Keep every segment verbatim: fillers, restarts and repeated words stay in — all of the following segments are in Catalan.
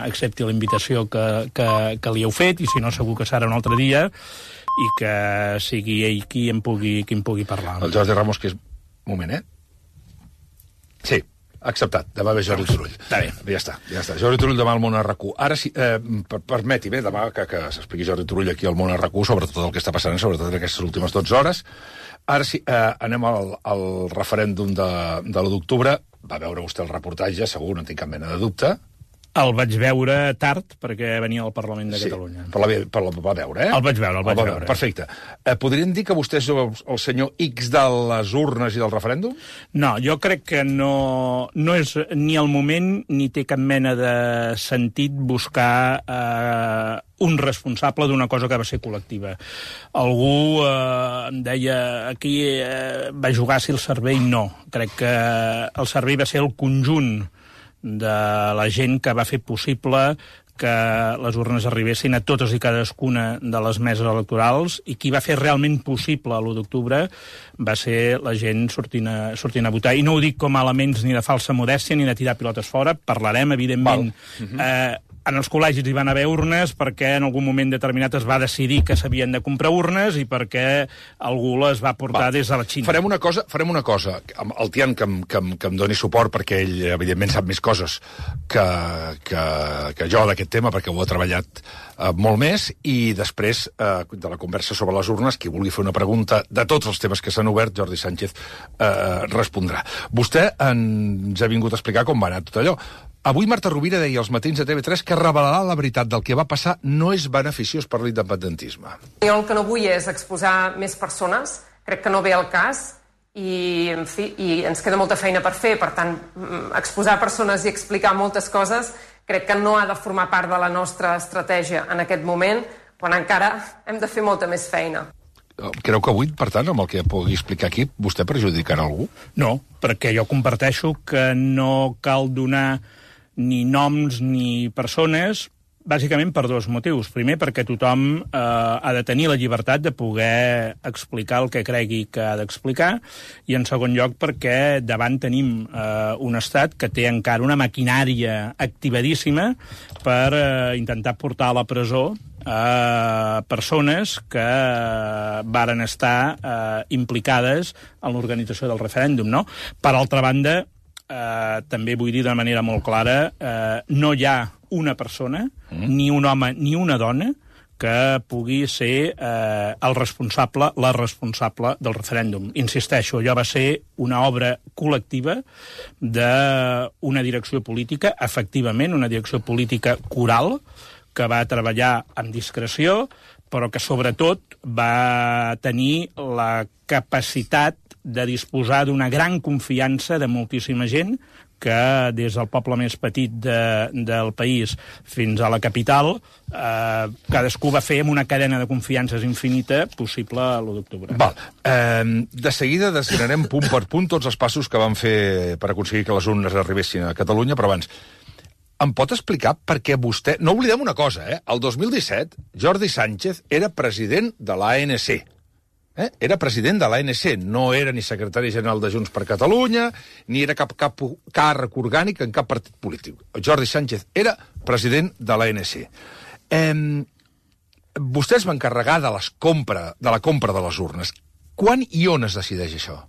accepti la invitació que, que, que li heu fet, i si no segur que serà un altre dia, i que sigui ell qui em pugui, qui em pugui parlar. El Jordi Ramos, que és... Un moment, eh? Sí, acceptat. Demà ve Jordi Turull. Està bé. Ja està, ja està. Jordi Turull demà al Món R Q. Ara sí, eh, permeti, bé, demà que, que s'expliqui Jordi Turull aquí al Món R Q sobre tot el que està passant, sobretot en aquestes últimes dotze hores. Ara sí, eh, anem al, al referèndum de, de l'u d'octubre. Va veure vostè el reportatge, segur, no tinc cap mena de dubte. El vaig veure tard, perquè venia al Parlament de sí, Catalunya. Però la, però la va veure, eh? El vaig veure, el vaig el veure. Perfecte. Eh, podríem dir que vostè és el, el senyor X de les urnes i del referèndum? No, jo crec que no, no és ni el moment ni té cap mena de sentit buscar eh, un responsable d'una cosa que va ser col·lectiva. Algú eh, em deia aquí eh, va jugar-s'hi el cervell. No, crec que el cervell va ser el conjunt de la gent que va fer possible que les urnes arribessin a totes i cadascuna de les meses electorals, i qui va fer realment possible l'u d'octubre va ser la gent sortint a, sortint a votar. I no ho dic com a elements ni de falsa modèstia ni de tirar pilotes fora, parlarem, evidentment. Uh -huh. eh, en els col·legis hi van haver urnes perquè en algun moment determinat es va decidir que s'havien de comprar urnes i perquè algú les va portar Val. des de la Xina. Farem una cosa, farem una cosa. El Tian que em, que em, que em doni suport, perquè ell, evidentment, sap més coses que, que, que jo d'aquest tema, perquè ho ha treballat eh, molt més, i després eh, de la conversa sobre les urnes, qui vulgui fer una pregunta de tots els temes que s'han obert, Jordi Sánchez eh, respondrà. Vostè ens ha vingut a explicar com va anar tot allò. Avui Marta Rovira deia als matins de T V tres que revelar la veritat del que va passar no és beneficiós per l'independentisme. Jo el que no vull és exposar més persones, crec que no ve al cas, i, en fi, i ens queda molta feina per fer, per tant, exposar persones i explicar moltes coses crec que no ha de formar part de la nostra estratègia en aquest moment, quan encara hem de fer molta més feina. Creu que avui, per tant, amb el que pugui explicar aquí, vostè perjudicarà algú? No, perquè jo comparteixo que no cal donar ni noms ni persones, bàsicament per dos motius. Primer, perquè tothom eh, ha de tenir la llibertat de poder explicar el que cregui que ha d'explicar, i en segon lloc perquè davant tenim eh, un estat que té encara una maquinària activadíssima per eh, intentar portar a la presó a persones que eh, varen estar eh, implicades en l'organització del referèndum, no? Per altra banda, Uh, també vull dir de manera molt clara, uh, no hi ha una persona, mm. ni un home ni una dona, que pugui ser uh, el responsable, la responsable del referèndum. Insisteixo, allò va ser una obra col·lectiva d'una direcció política, efectivament, una direcció política coral, que va treballar amb discreció, però que sobretot va tenir la capacitat de disposar d'una gran confiança de moltíssima gent que des del poble més petit de, del país fins a la capital eh, cadascú va fer amb una cadena de confiances infinita possible l'u d'octubre. Val. Eh, de seguida desgranarem punt per punt tots els passos que van fer per aconseguir que les urnes arribessin a Catalunya, però abans, em pot explicar per què vostè... No oblidem una cosa, eh? El dos mil disset, Jordi Sánchez era president de l'A N C. Eh? Era president de l'A N C, no era ni secretari general de Junts per Catalunya, ni era cap, cap càrrec orgànic en cap partit polític. Jordi Sánchez era president de l'A N C. Eh, vostè es va encarregar de, les compra, de la compra de les urnes. Quan i on es decideix això?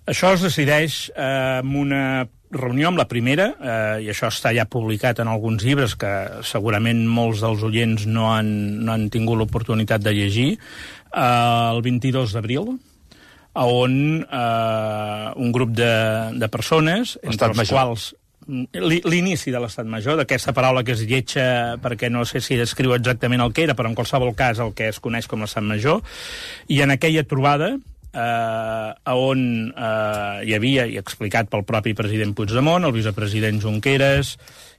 Això es decideix eh, en una reunió, amb la primera, eh, i això està ja publicat en alguns llibres que segurament molts dels oients no han, no han tingut l'oportunitat de llegir, eh, el vint-i-dos d'abril, on eh, un grup de, de persones, entre els quals l'inici de l'Estat Major, d'aquesta paraula que es lletja perquè no sé si descriu exactament el que era, però en qualsevol cas el que es coneix com l'Estat Major, i en aquella trobada Uh, on uh, hi havia, i explicat pel propi president Puigdemont, el vicepresident Junqueras,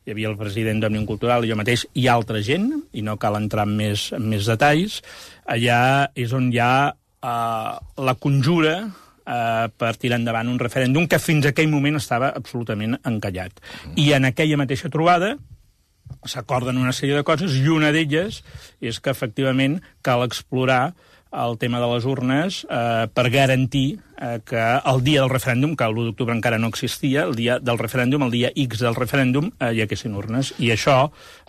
hi havia el president d'Òmnium Cultural i jo mateix, i altra gent, i no cal entrar en més, en més detalls, allà és on hi ha uh, la conjura uh, per tirar endavant un referèndum que fins a aquell moment estava absolutament encallat. I en aquella mateixa trobada s'acorden una sèrie de coses, i una d'elles és que efectivament cal explorar el tema de les urnes eh, per garantir eh, que el dia del referèndum, que l'u d'octubre encara no existia, el dia del referèndum, el dia X del referèndum, eh, hi haguessin urnes. I això,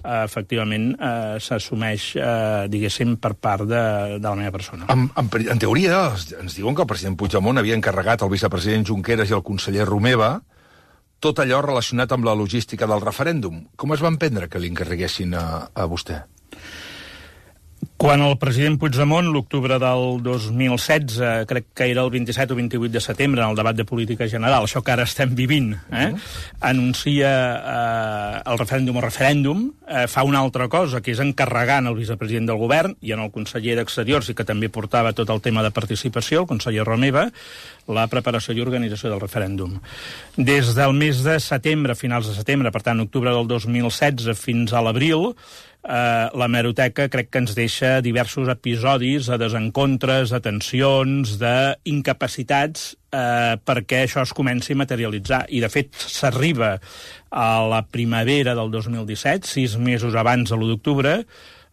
eh, efectivament, eh, s'assumeix, eh, diguéssim, per part de, de la meva persona. En, en, en teoria, ens diuen que el president Puigdemont havia encarregat al vicepresident Junqueras i al conseller Romeva tot allò relacionat amb la logística del referèndum. Com es van prendre que li encarreguessin a, a vostè? Quan el president Puigdemont, l'octubre del dos mil setze, crec que era el vint-i-set o vint-i-vuit de setembre, en el debat de política general, això que ara estem vivint, eh, uh-huh. anuncia eh, el referèndum o referèndum, eh, fa una altra cosa, que és encarregar en el vicepresident del govern i en el conseller d'Exteriors, i que també portava tot el tema de participació, el conseller Romeva, la preparació i organització del referèndum. Des del mes de setembre, finals de setembre, per tant, octubre del dos mil setze fins a l'abril, Uh, la hemeroteca crec que ens deixa diversos episodis de desencontres, de tensions, d'incapacitats uh, perquè això es comenci a materialitzar. I, de fet, s'arriba a la primavera del dos mil disset, sis mesos abans de l'u d'octubre,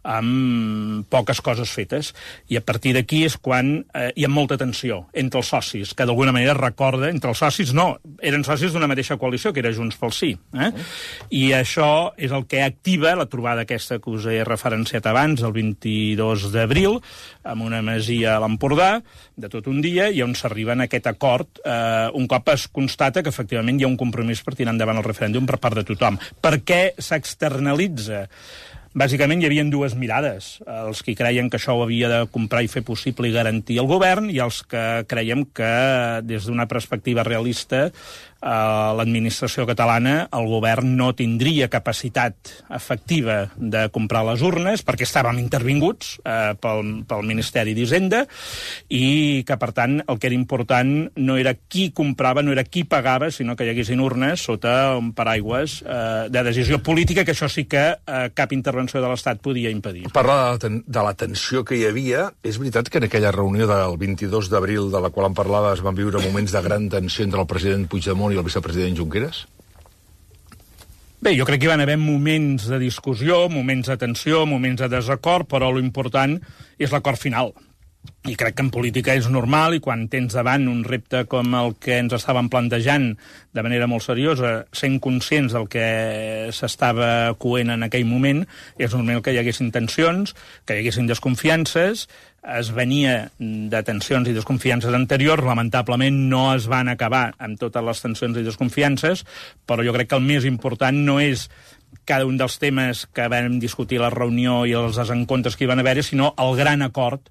amb poques coses fetes. I a partir d'aquí és quan eh, hi ha molta tensió entre els socis, que d'alguna manera recorda, entre els socis no, eren socis d'una mateixa coalició, que era Junts pel Sí. Eh? Uh. I això és el que activa la trobada aquesta que us he referenciat abans, el vint-i-dos d'abril, amb una masia a l'Empordà, de tot un dia, i on s'arriba en aquest acord, eh, un cop es constata que efectivament hi ha un compromís per tirar endavant el referèndum per part de tothom. Per què s'externalitza? Bàsicament hi havia dues mirades, els que creien que això ho havia de comprar i fer possible i garantir el govern, i els que creiem que des d'una perspectiva realista a l'administració catalana el govern no tindria capacitat efectiva de comprar les urnes perquè estàvem intervinguts eh, pel, pel Ministeri d'Hisenda i que, per tant, el que era important no era qui comprava, no era qui pagava, sinó que hi haguessin urnes sota un paraigües eh, de decisió política, que això sí que eh, cap intervenció de l'Estat podia impedir. Parla de, de la tensió que hi havia. És veritat que en aquella reunió del vint-i-dos d'abril, de la qual em parlava, es van viure moments de gran tensió entre el president Puigdemont i el vicepresident Junqueras? Bé, jo crec que hi van haver moments de discussió, moments de tensió, moments de desacord, però l'important és l'acord final. I crec que en política és normal, i quan tens davant un repte com el que ens estàvem plantejant de manera molt seriosa, sent conscients del que s'estava coent en aquell moment, és normal que hi haguessin tensions, que hi haguessin desconfiances. Es venia de tensions i desconfiances anteriors, lamentablement no es van acabar amb totes les tensions i desconfiances, però jo crec que el més important no és cada un dels temes que vam discutir a la reunió i els desencontres que hi van haver, sinó el gran acord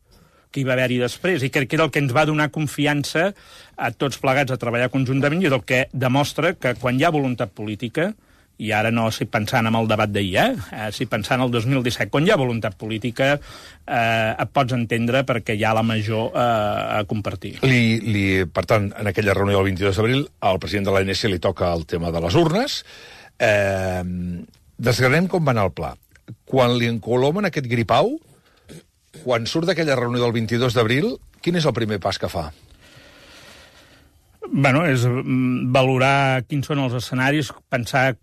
que hi va haver-hi després, i crec que era el que ens va donar confiança a tots plegats a treballar conjuntament, i és el que demostra que quan hi ha voluntat política, i ara no estic pensant en el debat d'ahir, eh? estic pensant en el dos mil disset, quan hi ha voluntat política eh, et pots entendre perquè hi ha la major eh, a compartir. Li, li, per tant, en aquella reunió del vint-i-dos d'abril, al president de l'A N C li toca el tema de les urnes. Eh, desgranem com va anar el pla. Quan li encolomen aquest gripau, quan surt d'aquella reunió del vint-i-dos d'abril, quin és el primer pas que fa? Bueno, és valorar quins són els escenaris, pensar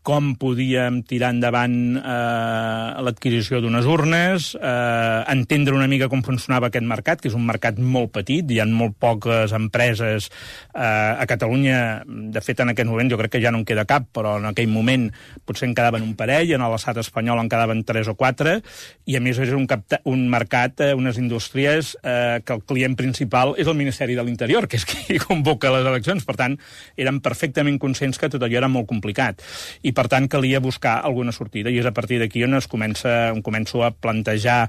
com podíem tirar endavant eh, l'adquisició d'unes urnes, eh, entendre una mica com funcionava aquest mercat, que és un mercat molt petit, hi ha molt poques empreses eh, a Catalunya. De fet, en aquest moment jo crec que ja no en queda cap, però en aquell moment potser en quedaven un parell, en l'estat espanyol en quedaven tres o quatre, i a més és un, capta, un mercat, eh, unes indústries eh, que el client principal és el Ministeri de l'Interior, que és qui convoca les eleccions. Per tant, eren perfectament conscients que tot allò era molt complicat. I per tant calia buscar alguna sortida, i és a partir d'aquí on es comença, on començo a plantejar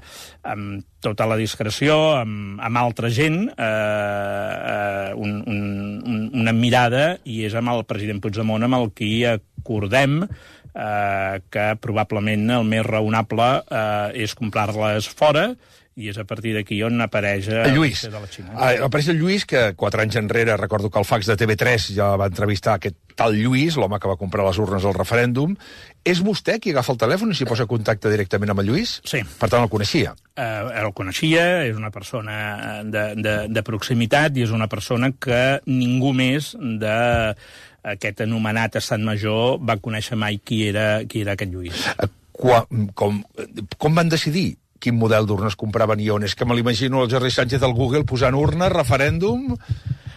amb tota la discreció, amb, amb altra gent, eh, un, un, una mirada, i és amb el president Puigdemont amb el qui acordem eh, que probablement el més raonable eh, és comprar-les fora, i és a partir d'aquí on apareix el Lluís. De la Xina. Ah, apareix el Lluís, que quatre anys enrere, recordo que el fax de T V tres ja va entrevistar aquest tal Lluís, l'home que va comprar les urnes al referèndum. És vostè qui agafa el telèfon i s'hi posa contacte directament amb el Lluís? Sí. Per tant, el coneixia? Uh, el coneixia, és una persona de, de, de proximitat, i és una persona que ningú més de aquest anomenat estat major va conèixer mai qui era, qui era aquest Lluís. Uh, quan, com, com van decidir quin model d'urnes compraven i on. És que me l'imagino el Jordi Sánchez al Google posant urnes, referèndum...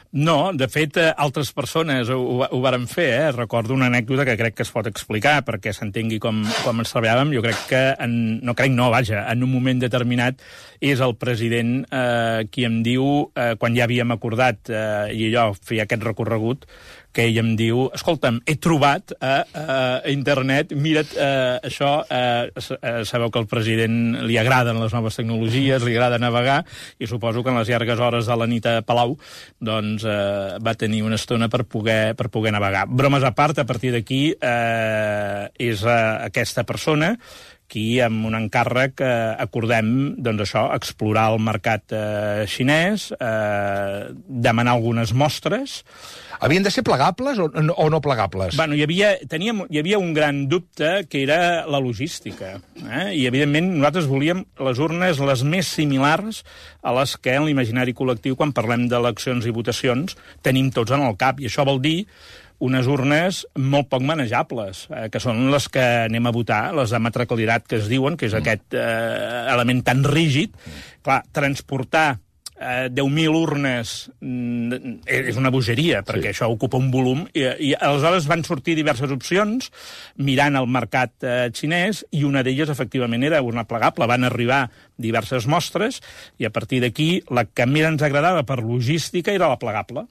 No, de fet, altres persones ho, ho varen fer, eh? Recordo una anècdota que crec que es pot explicar perquè s'entengui com, com ens treballàvem. Jo crec que, en, no crec no, vaja, en un moment determinat és el president eh, qui em diu, eh, quan ja havíem acordat, eh, i allò, feia aquest recorregut, que ell em diu, escolta'm, he trobat a, a internet, mira't, eh, això, eh, sabeu que al president li agraden les noves tecnologies, li agrada navegar, i suposo que en les llargues hores de la nit a Palau, doncs eh, va tenir una estona per poder, per poder navegar. Bromes a part, a partir d'aquí eh, és eh, aquesta persona qui, amb un encàrrec, eh, acordem, doncs això, explorar el mercat eh, xinès, eh, demanar algunes mostres. Havien de ser plegables o, o no plegables? Bueno, hi havia, teníem, hi havia un gran dubte, que era la logística. Eh? I, evidentment, nosaltres volíem les urnes les més similars a les que en l'imaginari col·lectiu, quan parlem d'eleccions i votacions, tenim tots en el cap. I això vol dir unes urnes molt poc manejables, eh, que són les que anem a votar, les de matracalitat que es diuen, que és mm. aquest eh, element tan rígid. Mm. Clar, transportar eh, deu mil urnes mm, és una bogeria, perquè sí. Això ocupa un volum, i, i aleshores van sortir diverses opcions, mirant el mercat eh, xinès, i una d'elles, efectivament, era una plegable. Van arribar diverses mostres, i a partir d'aquí, la que més ens agradava per logística era la plegable.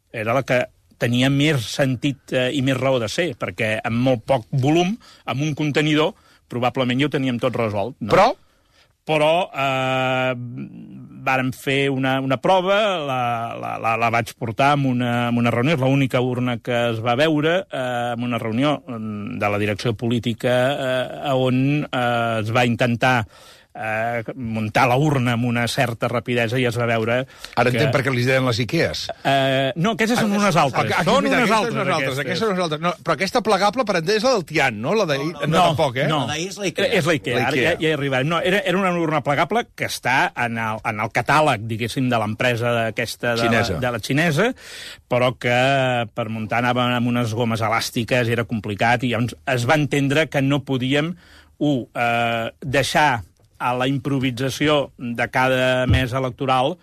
Era la que tenia més sentit eh, i més raó de ser, perquè amb molt poc volum, amb un contenidor, probablement ja ho teníem tot resolt. No? Però? Però eh, vàrem fer una, una prova, la, la, la, la vaig portar en una, en una reunió, és l'única urna que es va veure, eh, en una reunió de la direcció política eh, on eh, es va intentar Eh, muntar la urna amb una certa rapidesa i es va veure... Ara que... entenc per què li deien les Ikeas. Eh, no, aquestes són unes altres. Aquí, són mira, unes aquestes altres, unes altres, aquestes. aquestes unes altres. No, però aquesta plegable, per entendre, és la del Tian, no? La de... No, no, no, tampoc, eh? No, la d'ahir és la Ikea. És la Ikea, ara ja, ja he arribat. No, era, era una urna plegable que està en el, en el catàleg, diguéssim, de l'empresa aquesta de, xinesa. La, de la xinesa, però que per muntar anava amb unes gomes elàstiques, era complicat, i llavors es va entendre que no podíem, un, eh, deixar a la improvisació de cada mes electoral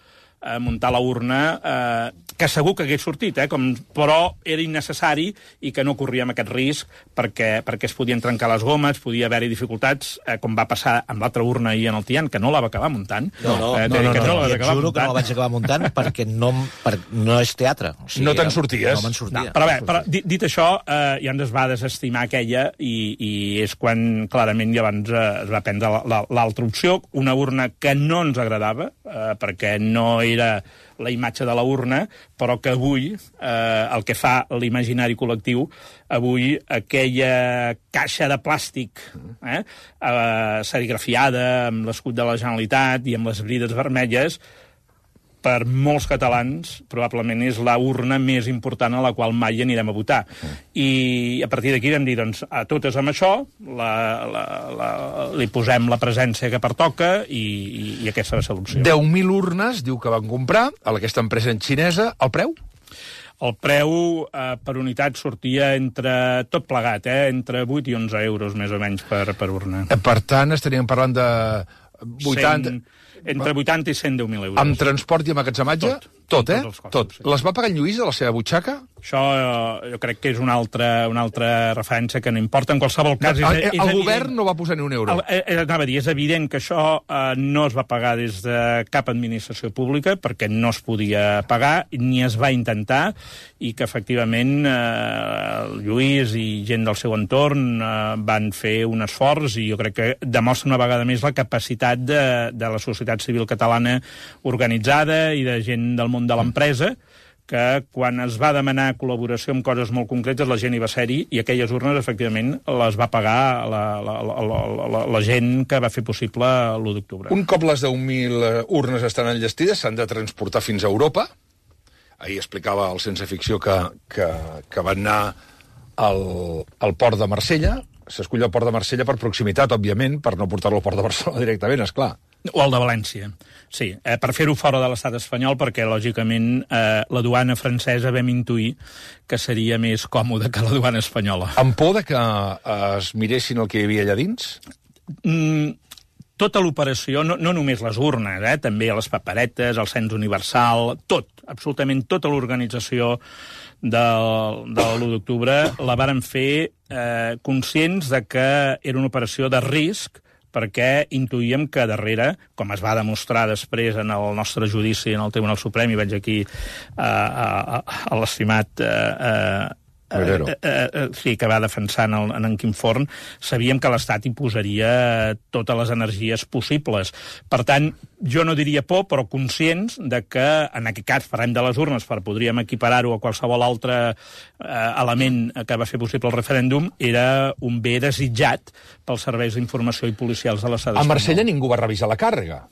eh, muntar la urna, eh, que segur que hagués sortit, eh, com, però era innecessari i que no corríem aquest risc perquè, perquè es podien trencar les gomes, podia haver-hi dificultats, eh, com va passar amb l'altra urna ahir en el Tian, que no la va acabar muntant. No, no, eh, no, no, no, no, no, no et juro que no la vaig acabar muntant perquè no, per, no és teatre. O sigui, no te'n sorties. No me'n sortia. No, però bé, però, dit, dit això, eh, ja ens va desestimar aquella i, i és quan clarament llavors eh, es va prendre l'altra opció, una urna que no ens agradava, eh, perquè no era la imatge de la urna, però que avui, eh, el que fa l'imaginari col·lectiu, avui aquella caixa de plàstic eh, eh, serigrafiada amb l'escut de la Generalitat i amb les brides vermelles, per molts catalans, probablement és la urna més important a la qual mai anirem a votar. I a partir d'aquí vam dir, doncs, a totes amb això, la, la, la, li posem la presència que pertoca i, i, i aquesta va ser l'opció. deu mil urnes, diu que van comprar, a aquesta empresa xinesa. El preu? El preu eh, per unitat sortia entre, tot plegat, eh, entre vuit i onze euros, més o menys, per, per urna. Per tant, estaríem parlant de vuitanta... cent, entre vuitanta i cent deu mil euros. Amb transport i emmagatzematge? Tot. Tot, eh? Tots els costos, Tot. sí. Les va pagar en Lluís de la seva butxaca? Això eh, jo crec que és una altra, una altra referència que no importa. En qualsevol cas... No, és, el és el evident, govern no va posar ni un euro. El, eh, anava a dir, és evident que això eh, no es va pagar des de cap administració pública perquè no es podia pagar, ni es va intentar, i que efectivament eh, Lluís i gent del seu entorn eh, van fer un esforç, i jo crec que demostra una vegada més la capacitat de, de la societat civil catalana organitzada i de gent del món de l'empresa, que quan es va demanar col·laboració en coses molt concretes, la gent hi va ser-hi, i aquelles urnes, efectivament, les va pagar la, la, la, la, la, la gent que va fer possible l'u d'octubre. Un cop les deu mil urnes estan enllestides, s'han de transportar fins a Europa. Ahir explicava el Sense Ficció que, que, que van anar al, al port de Marsella. S'escull el port de Marsella per proximitat, òbviament, per no portar-lo al port de Barcelona directament, esclar. O el de València, sí, eh, per fer-ho fora de l'estat espanyol, perquè, lògicament, eh, la duana francesa vam intuir que seria més còmode que la duana espanyola. Amb por de que es miressin el que hi havia allà dins? Mm, tota l'operació, no, no només les urnes, eh, també les paperetes, el cens universal, tot, absolutament tota l'organització del, de l'u d'octubre la varen fer eh, conscients de que era una operació de risc, perquè intuïem que darrere, com es va demostrar després en el nostre judici en el Tribunal Suprem, i veig aquí uh, a, a l'estimat uh, uh, uh, uh, uh, sí, que va defensar en, el, en en Quim Forn, sabíem que l'Estat hi posaria totes les energies possibles. Per tant, jo no diria por, però conscients de que, en aquest cas, parlem de les urnes, per podríem equiparar-ho a qualsevol altre eh, element que va fer possible el referèndum, era un bé desitjat pels serveis d'informació i policials de l'estat espanyol. A Marsella ningú va revisar la càrrega.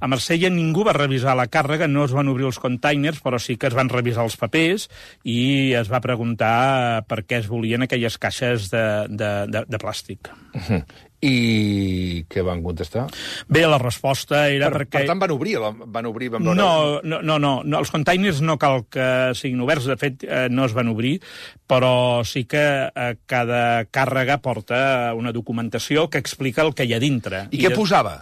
A Marsella ningú va revisar la càrrega, no es van obrir els containers, però sí que es van revisar els papers i es va preguntar per què es volien aquelles caixes de, de, de, de plàstic. Uh-huh. I què van contestar? Bé, la resposta era per, perquè... Per tant, van obrir, van obrir, van veure... No, no, no, no, no, els containers no cal que siguin oberts, de fet, eh, no es van obrir, però sí que eh, cada càrrega porta una documentació que explica el que hi ha dintre. I, I què de... posava?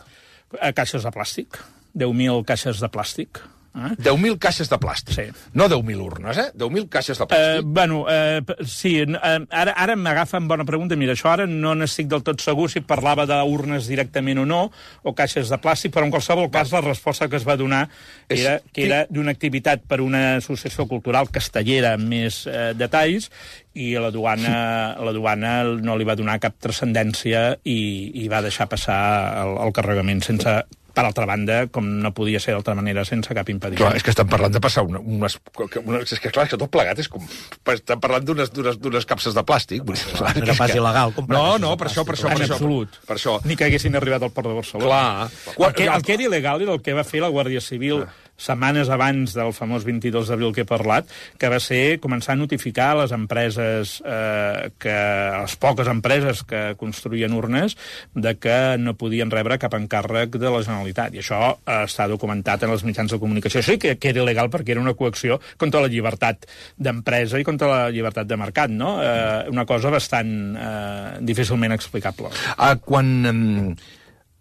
Eh, caixes de plàstic, deu mil caixes de plàstic. Eh? deu mil caixes de plàstic. Sí. No deu mil urnes, eh? deu mil caixes de plàstic. Uh, bueno, uh, sí, uh, ara, ara m'agafa en bona pregunta. Mira, això ara no n'estic del tot segur si parlava d'urnes directament o no, o caixes de plàstic, però en qualsevol cas la resposta que es va donar era és... que era d'una activitat per una associació cultural castellera amb més uh, detalls, i la duana, la duana no li va donar cap transcendència i, i va deixar passar el, el carregament sense... Per altra banda, com no podia ser d'altra manera, sense cap impediment. Clar, és que estan parlant de passar una, unes... Una, és que clar, és que tot plegat és com... Estan parlant d'unes capses de plàstic. Clar, no era pas il·legal comprar. No, no, per això, per això, per en això. absolut. Per això. Ni que haguessin arribat al port de Barcelona. Clar. El que, el que era il·legal era el que va fer la Guàrdia Civil ah. setmanes abans del famós vint-i-dos d'abril que he parlat, que va ser començar a notificar a les empreses, eh, que, a les poques empreses que construïen urnes, de que no podien rebre cap encàrrec de la Generalitat. I això eh, està documentat en els mitjans de comunicació. Això sí que, que era il·legal perquè era una coacció contra la llibertat d'empresa i contra la llibertat de mercat, no? Eh, una cosa bastant eh, difícilment explicable. Ah, quan... Eh...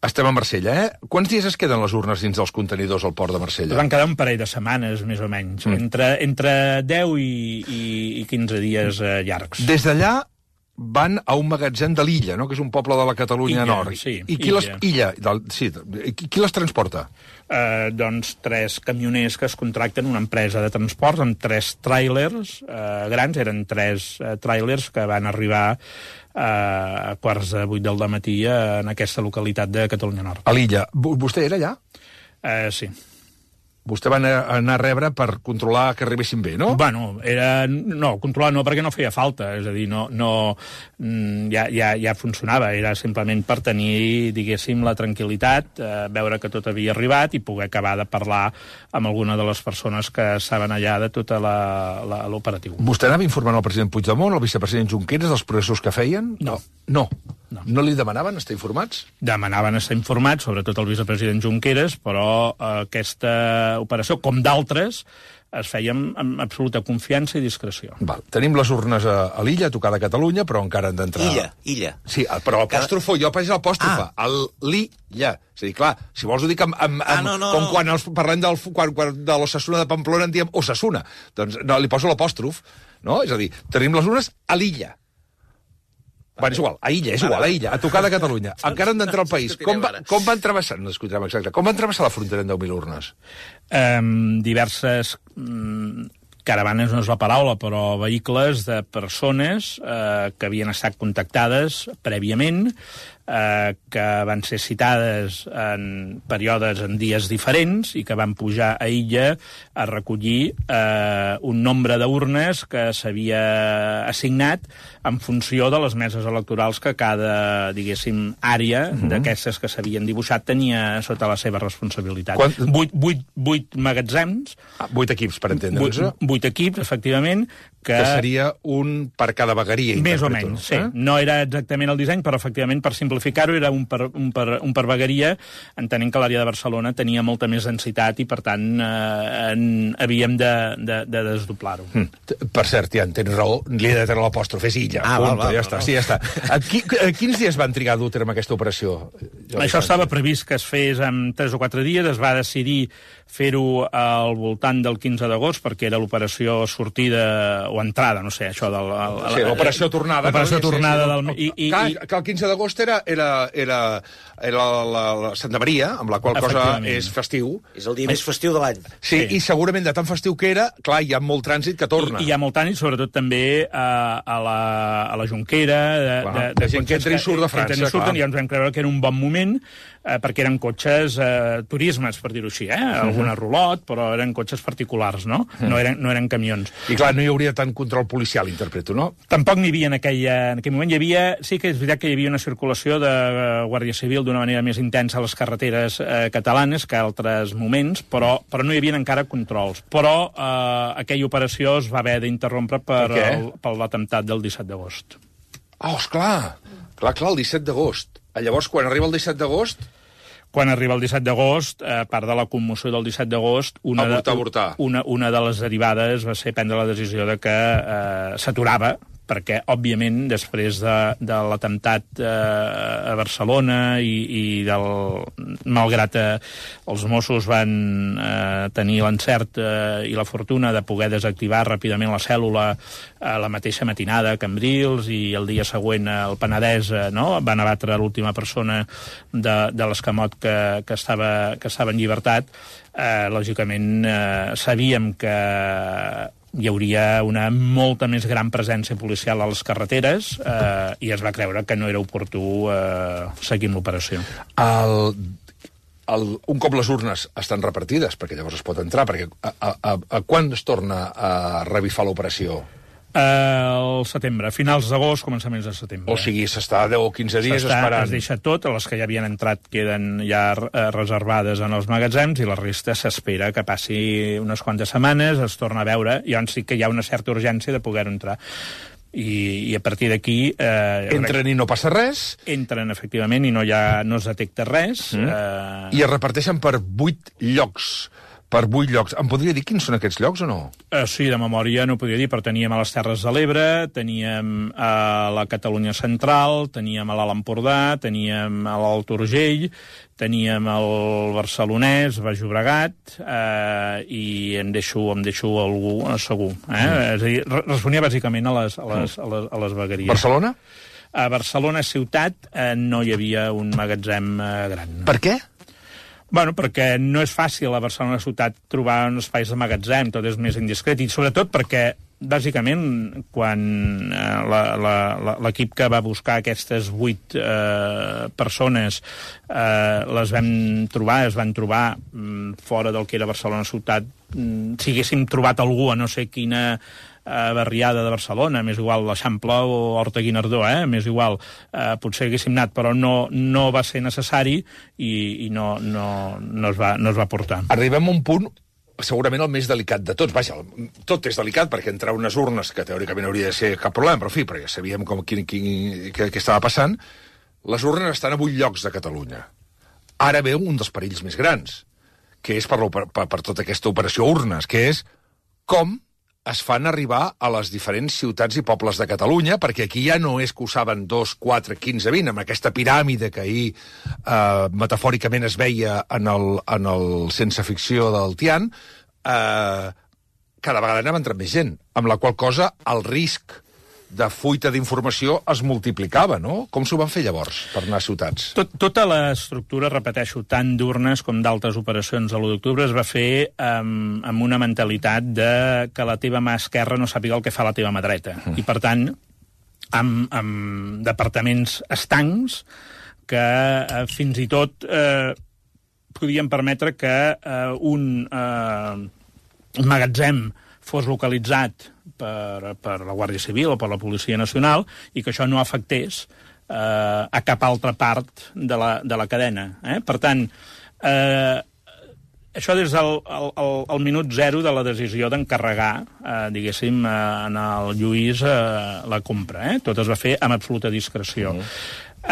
Estem a Marsella, eh? Quants dies es queden les urnes dins dels contenidors al port de Marsella? Van quedar un parell de setmanes, més o menys. Mm. Entre, entre deu i, i, i quinze dies eh, llargs. Des d'allà van a un magatzem de l'Illa, no? Que és un poble de la Catalunya Illa, Nord. Sí, I qui Illa. les, Illa del, sí, qui, qui les transporta? Eh, doncs tres camioners que es contracten una empresa de transports amb tres tràilers eh, grans, eren tres eh, tràilers que van arribar eh, a quarts de vuit del dematí eh, en aquesta localitat de Catalunya Nord. A l'Illa. Vostè era allà? Eh, sí. Vostè va anar a rebre per controlar que arribessin bé, no? Bueno, era... No, controlar no, perquè no feia falta. És a dir, no... no ja, ja, ja funcionava. Era simplement per tenir, diguéssim, la tranquil·litat, eh, veure que tot havia arribat i poder acabar de parlar amb alguna de les persones que estaven allà de tota l'operatiu. Vostè anava informant el president Puigdemont, el vicepresident Junqueras, dels processos que feien? No. No. No. No li demanaven estar informats? Demanaven estar informats, sobretot el vicepresident Junqueras, però eh, aquesta operació, com d'altres, es feia amb, amb absoluta confiança i discreció. Val. Tenim les urnes a, a l'Illa, a tocar de Catalunya, però encara han d'entrar... Illa, Illa. Sí, però apòstrofo, Cada... jo faig l'apòstrofa. Ah. L'Illa. És a dir, clar, si vols ho dic amb... amb, amb ah, no, no, com no. quan els, parlem del, quan, quan de l'Ossassuna de Pamplona en diem Osasuna. Doncs no, li poso l'apòstrof, no? És a dir, tenim les urnes a l'Illa. Bueno, és igual, a Illa, és igual, a Illa, a tocar de Catalunya. Encara han d'entrar al país. Com, va, com van travessar, no discutirem exacte, com van travessar la frontera en deu mil urnes? Um, diverses... Um, caravanes no és la paraula, però vehicles de persones eh, que havien estat contactades prèviament, eh, que van ser citades en períodes, en dies diferents, i que van pujar a Illa a recollir eh, un nombre d'urnes que s'havia assignat en funció de les meses electorals que cada, diguéssim, àrea mm-hmm. d'aquestes que s'havien dibuixat tenia sota la seva responsabilitat. Quant... Vuit, vuit, vuit magatzems... Ah, vuit equips, per entendre'ns. Vuit, vuit equips, efectivament, que... Que seria un per cada vegueria. Més o menys, sí. Eh? No era exactament el disseny, però efectivament, per simplificar-ho, era un per, un per, un per vegueria, entenent que l'àrea de Barcelona tenia molta més densitat i, per tant, eh, en, havíem de, de, de desdoblar-ho. Mm. Per cert, ja en tens raó, li he de treure l'apòstrof, és Illa. Ah, Punto, val, val, ja val, està, val. sí, ja està. A, qui, a quins dies van trigar a dur a terme aquesta operació? Això estava previst que es fes en tres o quatre dies, es va decidir fer-ho al voltant del quinze d'agost, perquè era l'operació sortida o entrada, no sé, això del... El, sí, l'operació tornada. L'operació no? tornada sí, sí, del... I, i, que, i... que el quinze d'agost era, era, era, era la, la, la Santa Maria, amb la qual cosa és festiu. És el dia més festiu de l'any. Sí, sí, i segurament de tan festiu que era, clar, hi ha molt trànsit que torna. I, i hi ha molt trànsit, sobretot també a, a, la, a la Jonquera, de, clar, de, de, de gent que entra i surt de França, que surten, i ens vam creure que era un bon moment, eh, perquè eren cotxes eh, turismes, per dir-ho així, eh? Alguna uh -huh. rulot, però eren cotxes particulars, no? Uh -huh. No eren, no eren camions. I clar, no hi hauria tant control policial, interpreto, no? Tampoc n'hi havia en, aquella, en aquell moment. Hi havia, sí que és veritat que hi havia una circulació de Guàrdia Civil d'una manera més intensa a les carreteres eh, catalanes que a altres moments, però, però no hi havia encara controls. Però eh, aquella operació es va haver d'interrompre per, per, el, per l'atemptat del disset d'agost. Oh, esclar! Clar, clar, el disset d'agost. Llavors, quan arriba el disset d'agost... Quan arriba el disset d'agost, a part de la commoció del disset d'agost, una, avortar, avortar. una, una de les derivades va ser prendre la decisió de que eh, s'aturava, perquè, òbviament, després de, de l'atemptat eh, a Barcelona i, i del... malgrat eh, els Mossos van eh, tenir l'encert eh, i la fortuna de poder desactivar ràpidament la cèl·lula eh, la mateixa matinada a Cambrils i el dia següent al Penedès, eh, no? Van abatre l'última persona de, de l'escamot que, que, estava, que estava en llibertat. Eh, lògicament, eh, sabíem que hi hauria una molta més gran presència policial a les carreteres eh, i es va creure que no era oportú eh, seguir amb l'operació. El, el, un cop les urnes estan repartides, perquè llavors es pot entrar, perquè a, a, a, a quan es torna a revifar l'operació? Al setembre, finals d'agost, començaments de setembre. O sigui, s'està deu o quinze dies esperant. Es deixa tot, les que ja havien entrat queden ja eh, reservades en els magatzems i la resta s'espera que passi unes quantes setmanes, es torna a veure, i llavors sí que hi ha una certa urgència de poder entrar. I, i a partir d'aquí... Eh, entren i no passa res? Entren, efectivament, i no, ha, no es detecta res. Mm. Eh... I es reparteixen per vuit llocs. Per vuit llocs. Em podria dir quins són aquests llocs o no? Uh, sí, de memòria no ho podria dir, però teníem a les Terres de l'Ebre, teníem a la Catalunya Central, teníem a l'Alt Empordà, teníem a l'Alt Urgell, teníem el Barcelonès, Baix Llobregat, eh, i em deixo, em deixo algú segur. Eh? Mm. És a dir, responia bàsicament a les, a les, a les, a les vegueries. Barcelona? A Barcelona ciutat eh, no hi havia un magatzem eh, gran. Per què? Bueno, perquè no és fàcil a Barcelona ciutat trobar uns espais de magatzem, tot és més indiscret, i sobretot perquè, bàsicament, quan eh, l'equip que va buscar aquestes vuit eh, persones eh, les vam trobar, es van trobar mm, fora del que era Barcelona ciutat, mm, si haguéssim trobat algú a no sé quina eh, barriada de Barcelona, més igual l'Eixample o Horta Guinardó, eh? més igual, eh, potser haguéssim anat, però no, no va ser necessari i, i no, no, no, es va, no es va portar. Arribem a un punt segurament el més delicat de tots. Vaja, tot és delicat perquè entrar unes urnes, que teòricament hauria de ser cap problema, però en fi, perquè ja sabíem com, quin, quin, què, què estava passant, les urnes estan a vuit llocs de Catalunya. Ara veu un dels perills més grans, que és per, per, per tota aquesta operació urnes, que és com es fan arribar a les diferents ciutats i pobles de Catalunya, perquè aquí ja no és que ho saben dos, quatre, quinze, vint, amb aquesta piràmide que ahir eh, metafòricament es veia en el, en el sense ficció del Tian, eh, cada vegada anava entrant més gent, amb la qual cosa el risc de fuita d'informació es multiplicava, no? Com s'ho van fer llavors per anar a ciutats? Tot, tota l'estructura, repeteixo, tant d'urnes com d'altres operacions a l'u d'octubre es va fer amb, amb una mentalitat de que la teva mà esquerra no sàpiga el que fa la teva mà dreta. Mm. I, per tant, amb, amb departaments estancs que eh, fins i tot eh, podien permetre que eh, un eh, magatzem fos localitzat per, per la Guàrdia Civil o per la Policia Nacional i que això no afectés eh, a cap altra part de la, de la cadena. Eh? Per tant, eh, això des del el, el, el minut zero de la decisió d'encarregar, eh, diguéssim, eh, en el Lluís eh, la compra. Eh? Tot es va fer amb absoluta discreció. Mm.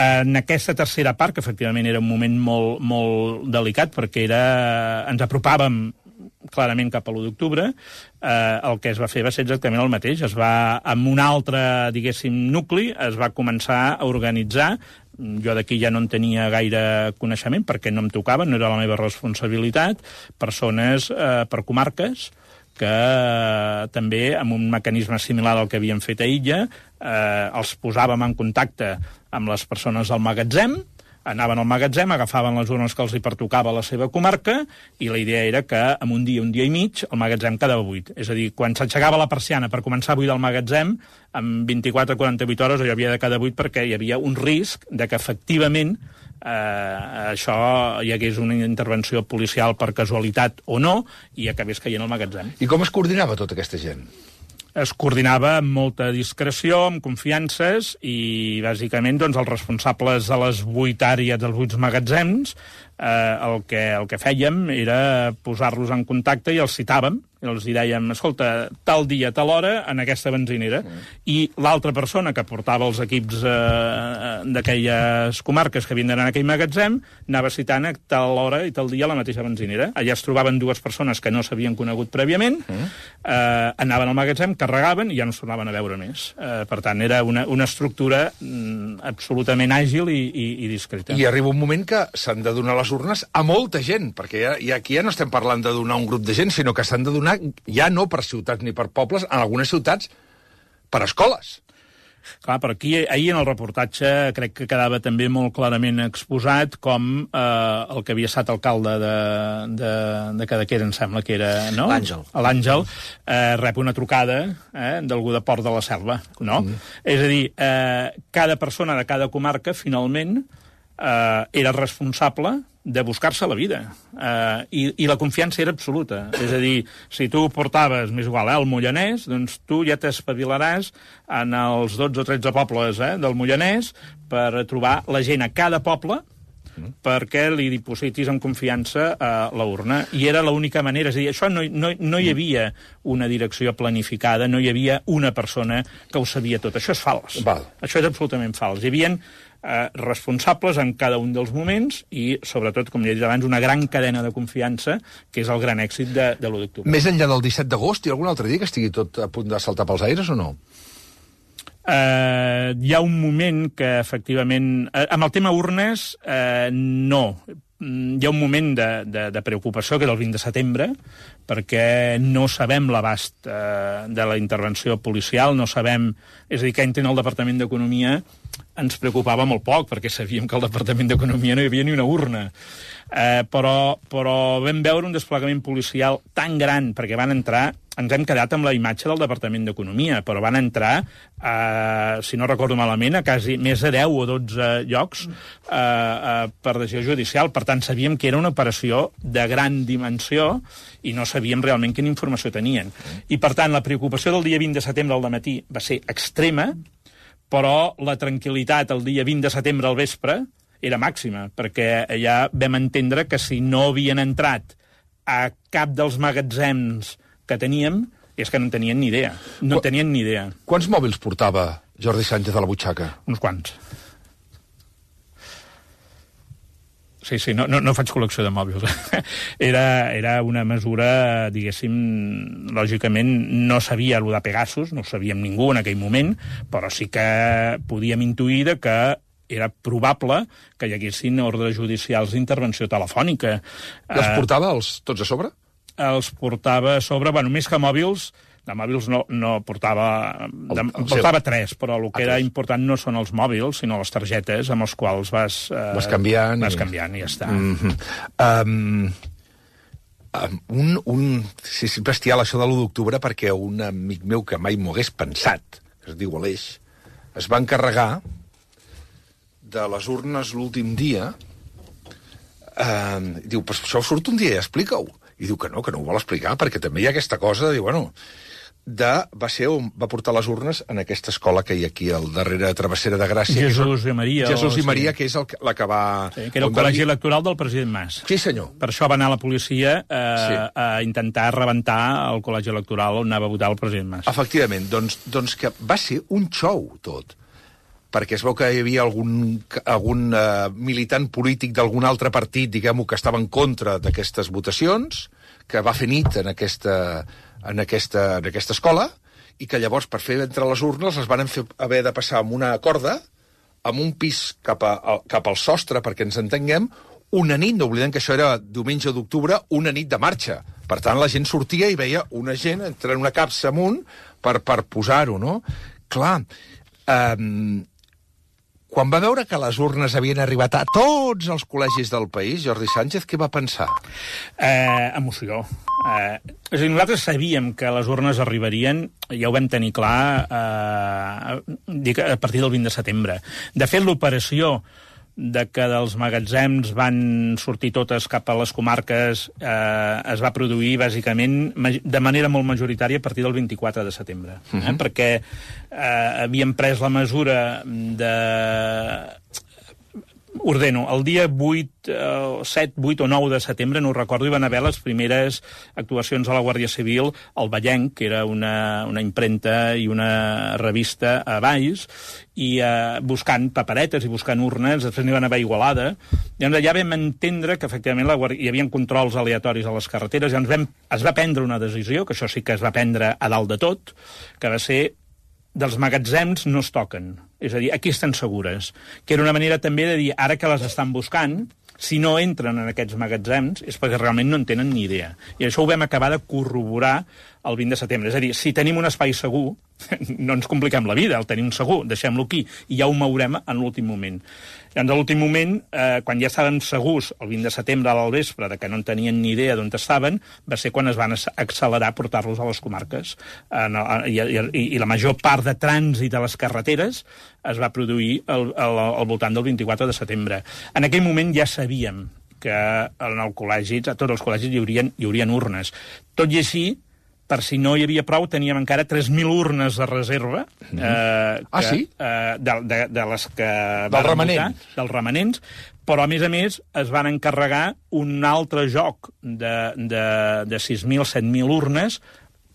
En aquesta tercera part, que efectivament era un moment molt, molt delicat, perquè era, ens apropàvem clarament cap a l'u d'octubre, eh, el que es va fer va ser exactament el mateix. Es va, amb un altre, diguéssim, nucli, es va començar a organitzar. Jo d'aquí ja no en tenia gaire coneixement, perquè no em tocava, no era la meva responsabilitat, persones eh, per comarques, que eh, també, amb un mecanisme similar al que havíem fet a Illa, eh, els posàvem en contacte amb les persones del magatzem, anaven al magatzem, agafaven les urnes que els hi pertocava a la seva comarca, i la idea era que en un dia, un dia i mig, el magatzem quedava buit. És a dir, quan s'aixecava la persiana per començar a buidar el magatzem, en vint-i-quatre a quaranta-vuit hores allò havia de quedar buit perquè hi havia un risc de que efectivament eh, això hi hagués una intervenció policial per casualitat o no, i acabés caient al magatzem. I com es coordinava tota aquesta gent? Es coordinava amb molta discreció, amb confiances, i bàsicament doncs, els responsables de les vuit àrees dels vuit magatzems eh, el, que, el que fèiem era posar-los en contacte i els citàvem, i els dèiem, escolta, tal dia, tal hora, en aquesta benzinera. Mm. I l'altra persona que portava els equips eh, d'aquelles comarques que havien d'anar en aquell magatzem anava citant a tal hora i tal dia a la mateixa benzinera. Allà es trobaven dues persones que no s'havien conegut prèviament, mm. eh, anaven al magatzem, carregaven i ja no es tornaven a veure més. Eh, per tant, era una, una estructura mm, absolutament àgil i, i, i discreta. I arriba un moment que s'han de donar les urnes a molta gent, perquè ja, ja, aquí ja no estem parlant de donar un grup de gent, sinó que s'han de donar ja no per ciutats ni per pobles, en algunes ciutats per escoles. Clar, però aquí, ahir en el reportatge crec que quedava també molt clarament exposat com eh, el que havia estat alcalde de, de, de Cadaqués, em sembla que era, no? L'Àngel. L'Àngel eh, rep una trucada eh, d'algú de Port de la Selva, no? Mm. És a dir, eh, cada persona de cada comarca, finalment, eh, era responsable de buscar-se la vida. Eh, i, I la confiança era absoluta. És a dir, si tu portaves, més igual, eh, el Moianès, doncs tu ja t'espavilaràs en els dotze o tretze pobles eh, del Moianès per trobar la gent a cada poble mm. perquè li dipositis amb confiança a la urna. I era l'única manera. És a dir, això no, no, no hi havia una direcció planificada, no hi havia una persona que ho sabia tot. Això és fals. Val. Això és absolutament fals. Hi havia Eh, responsables en cada un dels moments i, sobretot, com ja he dit abans, una gran cadena de confiança, que és el gran èxit de, de l'u d'octubre. Més enllà del disset d'agost, hi ha algun altre dia que estigui tot a punt de saltar pels aires o no? Eh, hi ha un moment que, efectivament... Eh, amb el tema urnes, eh, no. Hi ha un moment de, de, de preocupació, que és el vint de setembre, perquè no sabem l'abast eh, de la intervenció policial, no sabem... És a dir, que entren al Departament d'Economia ens preocupava molt poc, perquè sabíem que al Departament d'Economia no hi havia ni una urna. Eh, però, però vam veure un desplegament policial tan gran, perquè van entrar... Ens hem quedat amb la imatge del Departament d'Economia, però van entrar, eh, si no recordo malament, a quasi més de deu o dotze llocs eh, eh, per decisió judicial. Per tant, sabíem que era una operació de gran dimensió i no sabíem realment quina informació tenien. I, per tant, la preocupació del dia vint de setembre al dematí va ser extrema, però la tranquil·litat el dia vint de setembre al vespre era màxima, perquè ja vam entendre que si no havien entrat a cap dels magatzems que teníem, és que no en tenien ni idea. No en tenien ni idea. Quants mòbils portava Jordi Sánchez a la butxaca? Uns quants. Sí, sí, no, no, no faig col·lecció de mòbils. Era, era una mesura, diguéssim, lògicament no sabia allò de Pegasus, no ho sabíem ningú en aquell moment, però sí que podíem intuir que era probable que hi haguessin ordres judicials d'intervenció telefònica. Els portava els tots a sobre? Els portava a sobre, bueno, més que mòbils, de mòbils no, no portava... De, el, el portava seu. tres, però el que ah, era tres. important no són els mòbils, sinó les targetes amb els quals vas... Eh, vas canviant. Vas i... canviant i ja està. Mm-hmm. um, um, un, un... Sí, és bestial això de l'u d'octubre, perquè un amic meu que mai m'ho hagués pensat, que es diu Aleix, es va encarregar de les urnes l'últim dia, um, diu, però això surt un dia, explica-ho. I diu que no, que no ho vol explicar, perquè també hi ha aquesta cosa, diu, bueno, de, va ser on va portar les urnes en aquesta escola que hi ha aquí, al darrere de Travessera de Gràcia. Jesús i Maria. Jesús i Maria, sí. que és el, la que va... Sí, que era el col·legi electoral del president Mas. Sí, senyor. Per això va anar la policia eh, sí. a intentar rebentar el col·legi electoral on anava a votar el president Mas. Efectivament, doncs, doncs que va ser un xou, tot. Perquè es veu que hi havia algun, algun uh, militant polític d'algun altre partit, diguem-ho, que estava en contra d'aquestes votacions, que va fer nit en aquesta, en aquesta, en aquesta escola, i que llavors, per fer entre les urnes, les van fer, haver de passar amb una corda, amb un pis cap, a, cap al sostre, perquè ens entenguem, una nit, no oblidem que això era diumenge d'octubre, una nit de marxa. Per tant, la gent sortia i veia una gent entrar en una capsa amunt per, per posar-ho, no? Clar, eh, quan va veure que les urnes havien arribat a tots els col·legis del país, Jordi Sánchez, què va pensar? Eh, emoció. Eh, és a dir, nosaltres sabíem que les urnes arribarien, ja ho vam tenir clar, eh, dic, a partir del vint de setembre. De fet, l'operació de que dels magatzems van sortir totes cap a les comarques eh, es va produir, bàsicament, de manera molt majoritària a partir del vint-i-quatre de setembre. Eh? Uh-huh. Perquè eh, havien pres la mesura de... Ordeno, el dia vuit, set, vuit o nou de setembre, no ho recordo, hi van haver les primeres actuacions de la Guàrdia Civil al Vallenc, que era una, una impremta i una revista a Valls, i eh, buscant paperetes i buscant urnes, després n'hi van haver a Igualada. Llavors ja vam entendre que efectivament la Guàrdia... hi havia controls aleatoris a les carreteres, llavors vam... es va prendre una decisió, que això sí que es va prendre a dalt de tot, que va ser dels magatzems no es toquen. És a dir, aquí estan segures. Que era una manera també de dir, ara que les estan buscant, si no entren en aquests magatzems és perquè realment no en tenen ni idea. I això ho vam acabar de corroborar el vint de setembre. És a dir, si tenim un espai segur, no ens compliquem la vida, el tenim segur, deixem-lo aquí, i ja ho mourem en l'últim moment. Llavors, a l'últim moment, eh, quan ja estaven segurs, el vint de setembre al vespre, de que no en tenien ni idea d'on estaven, va ser quan es van accelerar a portar-los a les comarques. En, i, i, I la major part de trànsit a les carreteres es va produir al, al, al voltant del vint-i-quatre de setembre. En aquell moment ja sabíem que en el col·legi, a tots els col·legis hi haurien, hi haurien urnes. Tot i així, per si no hi havia prou, teníem encara tres mil urnes de reserva. Mm. Eh, que, ah, sí? Eh, de, de, de les que... Del remanent. Votar, dels remanents, però, a més a més, es van encarregar un altre joc de, de, de sis mil, set mil urnes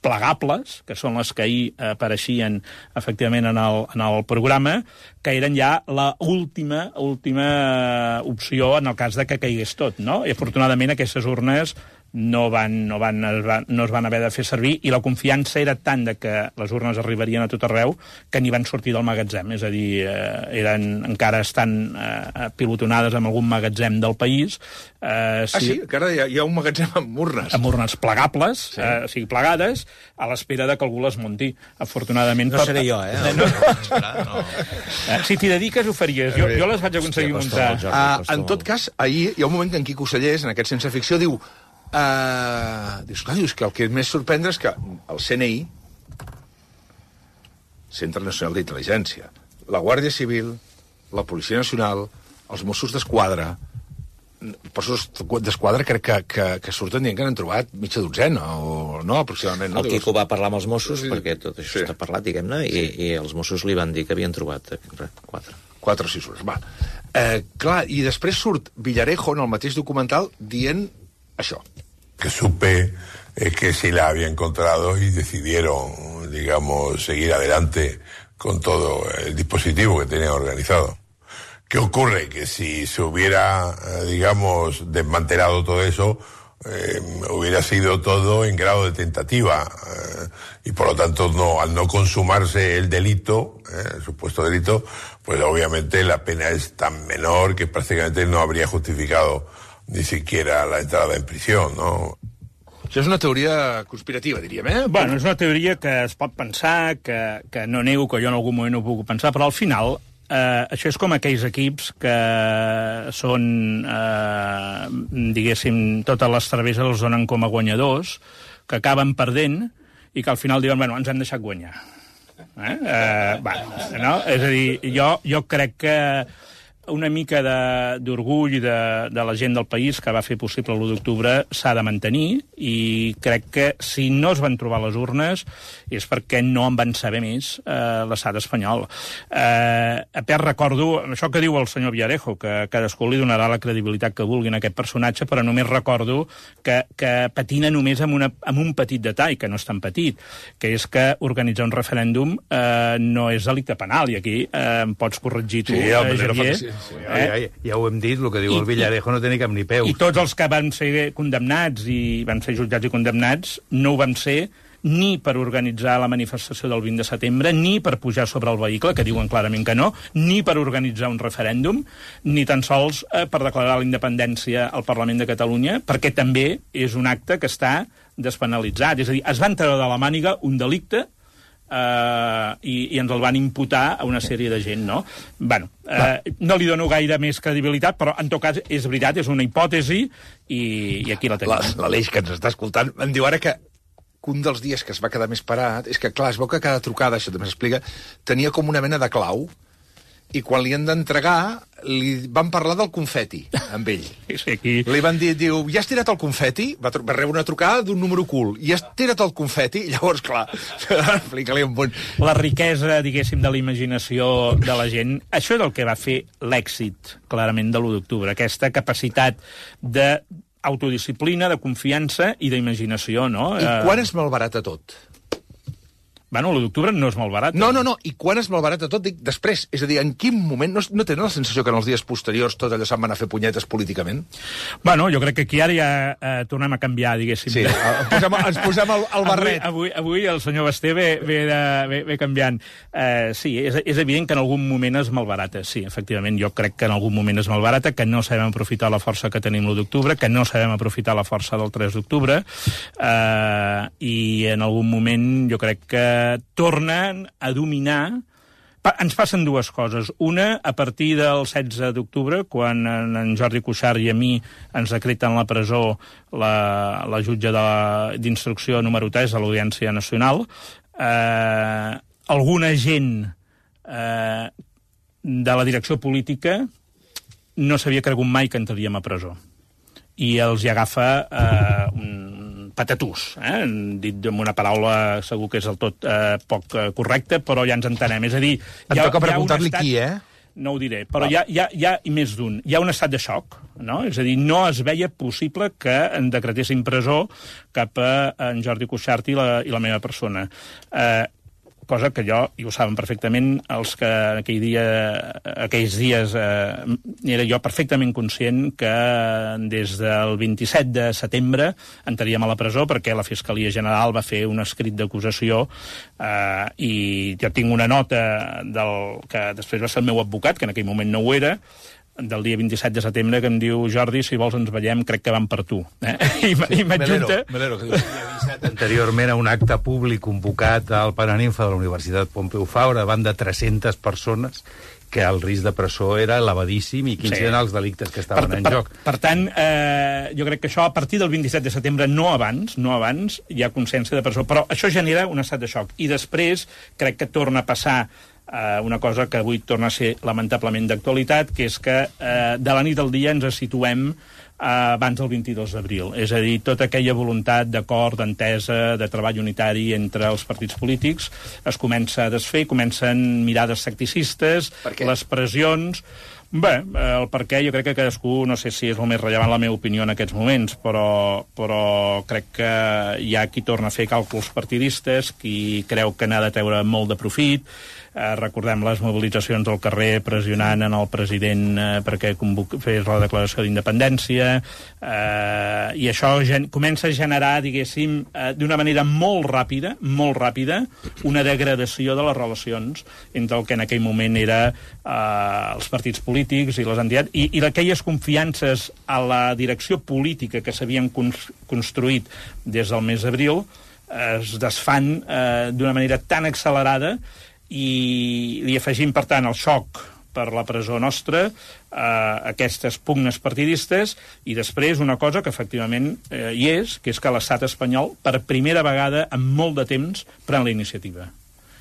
plegables, que són les que ahir apareixien efectivament en el, en el programa, que eren ja la última, última opció en el cas de que caigués tot, no? I afortunadament aquestes urnes no, van, no, van, es van, no es van haver de fer servir, i la confiança era tant de que les urnes arribarien a tot arreu que n'hi van sortir del magatzem. És a dir, eh, eren, encara estan eh, pilotonades en algun magatzem del país. Eh, si... Ah, sí? Encara hi ha, hi ha un magatzem amb urnes? Amb urnes plegables, sí. eh, o sigui, plegades, a l'espera de que algú les munti. Afortunadament... No seré jo, eh? No, no, no. Eh, si t'hi dediques, ho faries. Jo, jo les vaig aconseguir muntar. Uh, en tot cas, ahir hi ha un moment que en Quico Sallés, en aquest Sense Ficció, diu... Uh, dius, clar, dius que el que més sorprendre és que el C N I, Centre Nacional d'Intel·ligència, la Guàrdia Civil, la Policia Nacional, els Mossos d'Esquadra, Mossos d'Esquadra crec que, que, que surten dient que n'han trobat mitja dotzena, o no, aproximadament. No? El Quico va parlar amb els Mossos, sí, perquè tot això sí. està parlat, diguem-ne, i, sí. i els Mossos li van dir que havien trobat quatre. Quatre o sis hores, va. Eh, clar, i després surt Villarejo en el mateix documental dient això. Que supe es que sí la había encontrado y decidieron, digamos, seguir adelante con todo el dispositivo que tenían organizado. ¿Qué ocurre? Que si se hubiera, digamos, desmantelado todo eso, eh, hubiera sido todo en grado de tentativa eh, y por lo tanto no, al no consumarse el delito, eh, el supuesto delito, pues obviamente la pena es tan menor que prácticamente no habría justificado ni siquiera la entrada en prisión, no? Això és una teoria conspirativa, diríem, eh? Bueno, és una teoria que es pot pensar, que, que no nego que jo en algun moment ho puc pensar, però al final eh, això és com aquells equips que són, eh, diguéssim, totes les travesses els donen com a guanyadors, que acaben perdent i que al final diuen, bueno, ens hem deixat guanyar. Eh? Eh, bueno, no? És a dir, jo, jo crec que una mica d'orgull de, de la gent del país que va fer possible l'u d'octubre s'ha de mantenir, i crec que si no es van trobar les urnes és perquè no en van saber més eh, l'estat espanyol. Eh, a part, recordo això que diu el senyor Villarejo, que cadascú li donarà la credibilitat que vulgui en aquest personatge, però només recordo que, que patina només amb, una, amb un petit detall, que no és tan petit, que és que organitzar un referèndum eh, no és delicte penal, i aquí eh, em pots corregir tu, sí, eh, Javier. Sí, eh? ja, ja, ja ho hem dit, el que diu I, el Villarejo no té ni cap ni peus. I tots els que van ser condemnats i van ser jutjats i condemnats no ho van ser ni per organitzar la manifestació del vint de setembre, ni per pujar sobre el vehicle, que diuen clarament que no, ni per organitzar un referèndum, ni tan sols eh, per declarar la independència al Parlament de Catalunya, perquè també és un acte que està despenalitzat. És a dir, es van treure de la màniga un delicte eh, i, i ens el van imputar a una sèrie de gent, no? Bueno, eh, no li dono gaire més credibilitat, però en tot cas és veritat, és una hipòtesi i, i aquí la tenim. L'Aleix, que ens està escoltant, em diu ara que que un dels dies que es va quedar més parat és que, clar, es veu que cada trucada, això també s'explica, tenia com una mena de clau, i quan li han d'entregar, li van parlar del confeti, amb ell. Sí, aquí... Li van dir, diu, ja has tirat el confeti? Va, va rebre una trucada d'un número cool. I has tirat el confeti? I llavors, clar, explica-li un bon... La riquesa, diguéssim, de la imaginació de la gent, això és el que va fer l'èxit, clarament, de l'u d'octubre, aquesta capacitat de autodisciplina, de confiança i d'imaginació, no? I quan es malbarata tot? Bueno, l'u d'octubre no és malbarat. No, no, no. I quan es malbarata tot? Dic, després. És a dir, en quin moment... No, no tenen la sensació que en els dies posteriors tot allò se'n van a fer punyetes políticament? Bueno, jo crec que aquí ara ja eh, tornem a canviar, diguéssim. Sí, ens posem, ens posem el, el barret. Avui, avui, avui el senyor Basté ve, ve, de, ve, ve canviant. Eh, sí, és, és evident que en algun moment es malbarata. Sí, efectivament, jo crec que en algun moment es malbarata, que no sabem aprofitar la força que tenim l'u d'octubre, que no sabem aprofitar la força del tres d'octubre, eh, i en algun moment jo crec que tornen a dominar. Pa, ens passen dues coses. Una, a partir del setze d'octubre, quan en, en Jordi Cuixart i a mi ens decreten la presó la, la jutge d'instrucció número tres de l'Audiència Nacional, eh, alguna gent eh, de la direcció política no s'havia cregut mai que entraríem a presó. I els hi agafa eh, un patatús, eh? Dit amb una paraula segur que és del tot eh, poc eh, correcta, però ja ens entenem. És a dir, em hi ha, toca preguntar-li estat... qui, eh? No ho diré, però hi ha, hi, ha, hi ha més d'un. Hi ha un estat de xoc, no? És a dir, no es veia possible que en decretessin presó cap a en Jordi Cuixart i la, i la meva persona. Eh, cosa que jo, i ho saben perfectament, els que aquell dia, aquells dies eh, era jo perfectament conscient que des del vint-i-set de setembre entraríem a la presó perquè la Fiscalia General va fer un escrit d'acusació eh, i jo tinc una nota del que després va ser el meu advocat, que en aquell moment no ho era, del dia vint-i-set de setembre, que em diu, Jordi, si vols ens veiem, crec que van per tu. Eh? I, i m'adjunta... Melero, que havia avisat anteriorment a un acte públic convocat al Paraninfa de la Universitat Pompeu Fabra davant de tres-centes persones que el risc de presó era elevadíssim i quins sí. eren els delictes que estaven per, en per, joc. Per tant, eh, jo crec que això a partir del vint-i-set de setembre, no abans, no abans, hi ha consciència de presó, però això genera un estat de xoc. I després crec que torna a passar Uh, una cosa que avui torna a ser lamentablement d'actualitat, que és que uh, de la nit al dia ens situem uh, abans del vint-i-dos d'abril. És a dir, tota aquella voluntat d'acord, d'entesa, de treball unitari entre els partits polítics es comença a desfer, comencen mirades secticistes, les pressions... Bé, el per què jo crec que cadascú, no sé si és el més rellevant la meva opinió en aquests moments, però, però crec que hi ha qui torna a fer càlculs partidistes, qui creu que n'ha de treure molt de profit. Eh, recordem les mobilitzacions al carrer pressionant en el president eh, perquè fes la declaració d'independència, eh, i això gen comença a generar, diguéssim, eh, d'una manera molt ràpida, molt ràpida, una degradació de les relacions entre el que en aquell moment era eh, els partits polítics i les entitats, i, i aquelles confiances a la direcció política que s'havien construït des del mes d'abril eh, es desfan eh, d'una manera tan accelerada, i li afegim, per tant, el xoc per la presó nostra, eh, aquestes pugnes partidistes, i després una cosa que efectivament eh, hi és, que és que l'estat espanyol, per primera vegada en molt de temps, pren la iniciativa.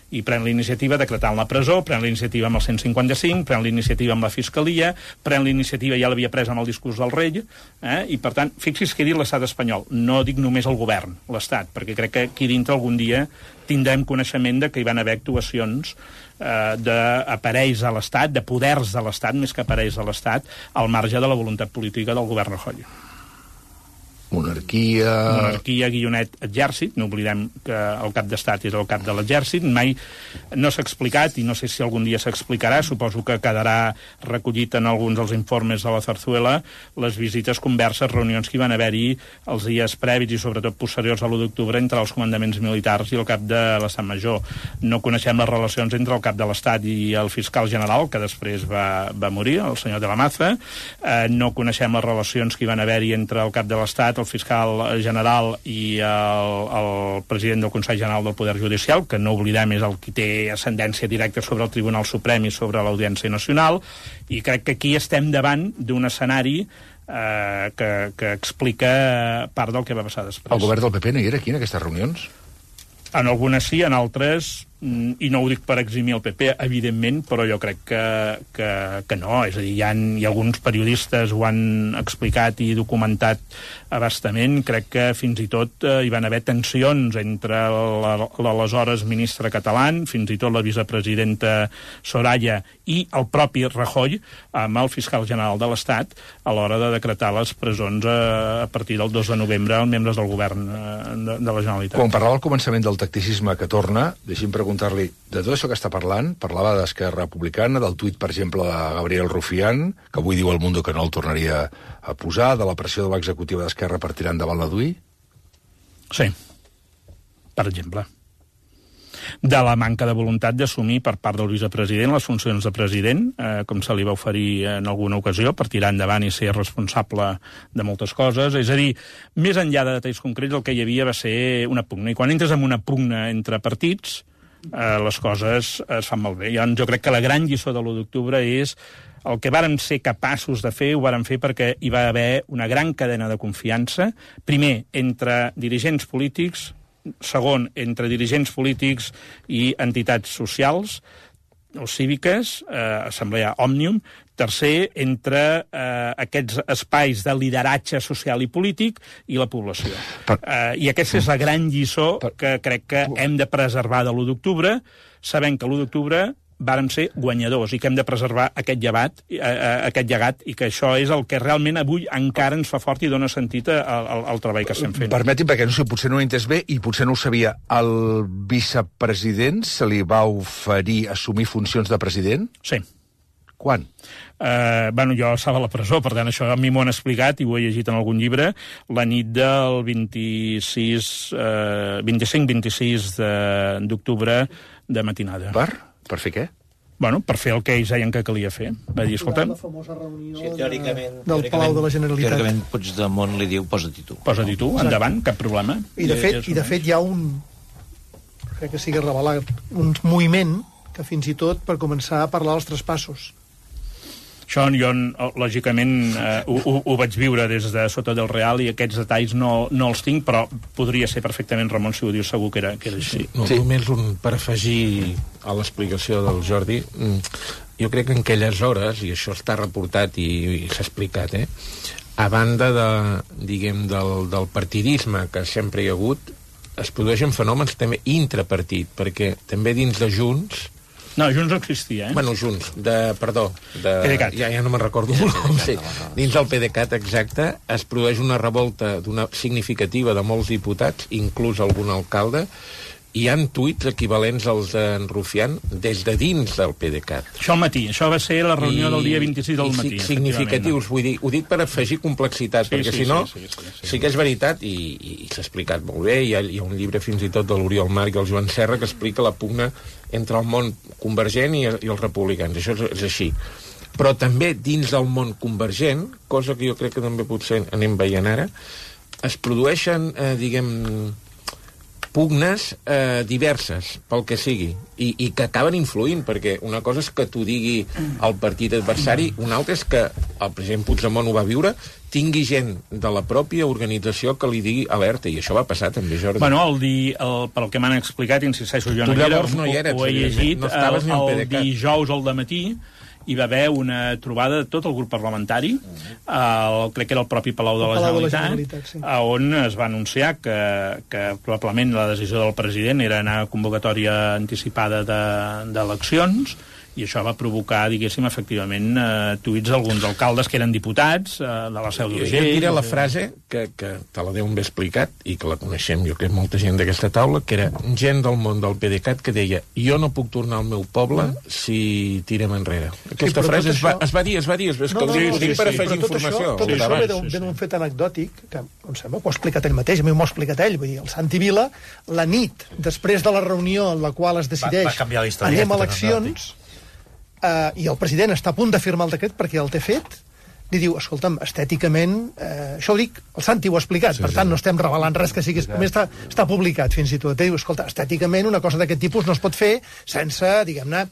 I pren la iniciativa decretant la presó, pren la iniciativa amb el cent cinquanta-cinc, pren la iniciativa amb la Fiscalia, pren la iniciativa, ja l'havia pres amb el discurs del rei, eh? I per tant, fixi's que he dit l'estat espanyol, no dic només el govern, l'estat, perquè crec que aquí dintre algun dia tindrem coneixement de que hi van haver actuacions eh, d'aparells a l'estat, de poders de l'estat, més que aparells de l'estat, al marge de la voluntat política del govern Rajoy. Monarquia... Monarquia, guionet, exèrcit. No oblidem que el cap d'estat és el cap de l'exèrcit. Mai no s'ha explicat, i no sé si algun dia s'explicarà, suposo que quedarà recollit en alguns dels informes de la Zarzuela, les visites, converses, reunions que hi van haver-hi els dies prèvis i sobretot posteriors a l'u d'octubre entre els comandaments militars i el cap de l'Estat Major. No coneixem les relacions entre el cap de l'Estat i el fiscal general, que després va, va morir, el senyor de la Maza. Eh, no coneixem les relacions que hi van haver-hi entre el cap de l'Estat, el fiscal general i el, el president del Consell General del Poder Judicial, que no oblidem és el qui té ascendència directa sobre el Tribunal Suprem i sobre l'Audiència Nacional, i crec que aquí estem davant d'un escenari eh, que, que explica part del que va passar després. El govern del P P no hi era aquí, en aquestes reunions? En algunes sí, en altres, i no ho dic per eximir el P P, evidentment, però jo crec que, que, que no. És a dir, hi ha, hi ha alguns periodistes ho han explicat i documentat abastament. Crec que fins i tot eh, hi van haver tensions entre l'aleshores ministre català, fins i tot la vicepresidenta Soraya i el propi Rajoy amb el fiscal general de l'Estat a l'hora de decretar les presons a, a partir del dos de novembre als membres del govern eh, de, de la Generalitat. Quan parlava al començament del tacticisme que torna, deixi'm preguntar-li, de tot això que està parlant, parlava d'Esquerra Republicana, del tuit, per exemple, de Gabriel Rufián, que avui diu al Mundo que no el tornaria a posar, de la pressió de l'executiva d'Esquerra per tirar endavant la D U I? Sí, per exemple. De la manca de voluntat d'assumir per part del vicepresident les funcions de president, eh, com se li va oferir en alguna ocasió, per tirar endavant i ser responsable de moltes coses. És a dir, més enllà de detalls concrets, el que hi havia va ser una pugna. I quan entres en una pugna entre partits, eh, les coses es fan molt bé. Jo, jo crec que la gran lliçó de l'u d'octubre és el que vàrem ser capaços de fer, ho vàrem fer perquè hi va haver una gran cadena de confiança, primer, entre dirigents polítics, segon, entre dirigents polítics i entitats socials o cíviques, eh, Assemblea Òmnium, tercer, entre eh, aquests espais de lideratge social i polític i la població. Per... Eh, I aquesta és la gran lliçó per... que crec que hem de preservar de l'u d'octubre, sabent que l'u d'octubre vàrem ser guanyadors i que hem de preservar aquest llevat, eh, aquest llegat, i que això és el que realment avui encara ens fa fort i dona sentit al, al, al treball que estem fent. Permeti'm, perquè no sé, potser no ho he entès bé i potser no ho sabia. Al vicepresident se li va oferir assumir funcions de president? Sí. Quan? Eh, bueno, jo estava a la presó, per tant, això a mi m'ho han explicat i ho he llegit en algun llibre, la nit del vint-i-sis, eh, vint-i-cinc vint-i-sis d'octubre de matinada. Per? Per fer què? Bueno, per fer el que ells deien que calia fer. Va dir, escolta... La famosa reunió sí, teòricament, del Palau de la Generalitat. Teòricament Puigdemont li diu, posa-t'hi tu. Posa-t'hi tu, endavant, cap problema. I de fet, i de fet hi ha un... crec que sigui revelat, un moviment que fins i tot per començar a parlar dels traspassos. Això jo, lògicament, eh, ho, ho, ho vaig viure des de sota del Real i aquests detalls no, no els tinc, però podria ser perfectament, Ramon, si ho dius, segur que era, que era així. Sí, no, sí. Només un, per afegir a l'explicació del Jordi, jo crec que en aquelles hores, i això està reportat i, i s'ha explicat, eh, a banda de, diguem, del, del partidisme que sempre hi ha hagut, es produeixen fenòmens també intrapartit, perquè també dins de Junts... No, Junts no existia, eh? Bueno, Junts, de, perdó, de... PDeCAT. Ja, ja no me'n recordo el nom. Sí. Dins del PDeCAT, exacte, es produeix una revolta d'una significativa de molts diputats, inclús algun alcalde, hi ha tuits equivalents als d'en Rufián des de dins del PDeCAT. Això al matí, això va ser la reunió I, del dia vint-i-sis del matí. Significatius, vull dir, ho dic per afegir complexitat, sí, perquè sí, si no, sí, sí, sí, sí. sí que és veritat, i, i s'ha explicat molt bé, hi ha, hi ha un llibre fins i tot de l'Oriol Marc i el Joan Serra que explica la pugna entre el món convergent i, i els republicans, això és, és així. Però també dins del món convergent, cosa que jo crec que també potser anem veient ara, es produeixen, eh, diguem... pugnes eh, diverses, pel que sigui, i, i que acaben influint, perquè una cosa és que t'ho digui el partit adversari, una altra és que el president Puigdemont ho va viure, tingui gent de la pròpia organització que li digui alerta, i això va passar també, Jordi. Bueno, el di, el, pel que m'han explicat, insisteixo, jo tu no hi era, no hi eres, ho he llegit, no el, el, el dijous al dematí, hi va haver una trobada de tot el grup parlamentari, el, crec que era el propi Palau de la Palau Generalitat, de la Generalitat sí. on es va anunciar que, que probablement la decisió del president era anar a convocatòria anticipada d'eleccions, de, i això va provocar, diguéssim, efectivament, eh, tuits d'alguns alcaldes que eren diputats, eh, de la Seu d'Urgell... Jo et diré la frase, que, que te la deu ben explicat, i que la coneixem, jo crec, molta gent d'aquesta taula, que era gent del món del P D C A T que deia jo no puc tornar al meu poble si tirem enrere. Aquesta sí, frase es va, això... es va dir, es va dir, es va... No, no, no, ho dic per afegir informació. Tot això ve d'un fet anecdòtic, que em sembla que ho ha explicat ell mateix, a mi m'ho ha explicat ell, vull dir, el Santi Vila, la nit, després de la reunió en la qual es decideix va, va anem a eleccions, eh, i el president està a punt de firmar el decret perquè el té fet, li diu, escolta'm, estèticament, eh, això ho dic, el Santi ho ha explicat, sí, per tant, sí. No estem revelant res que sigui... A més, està, està publicat, fins i tot. Diu, escolta, estèticament, una cosa d'aquest tipus no es pot fer sense, diguem-ne,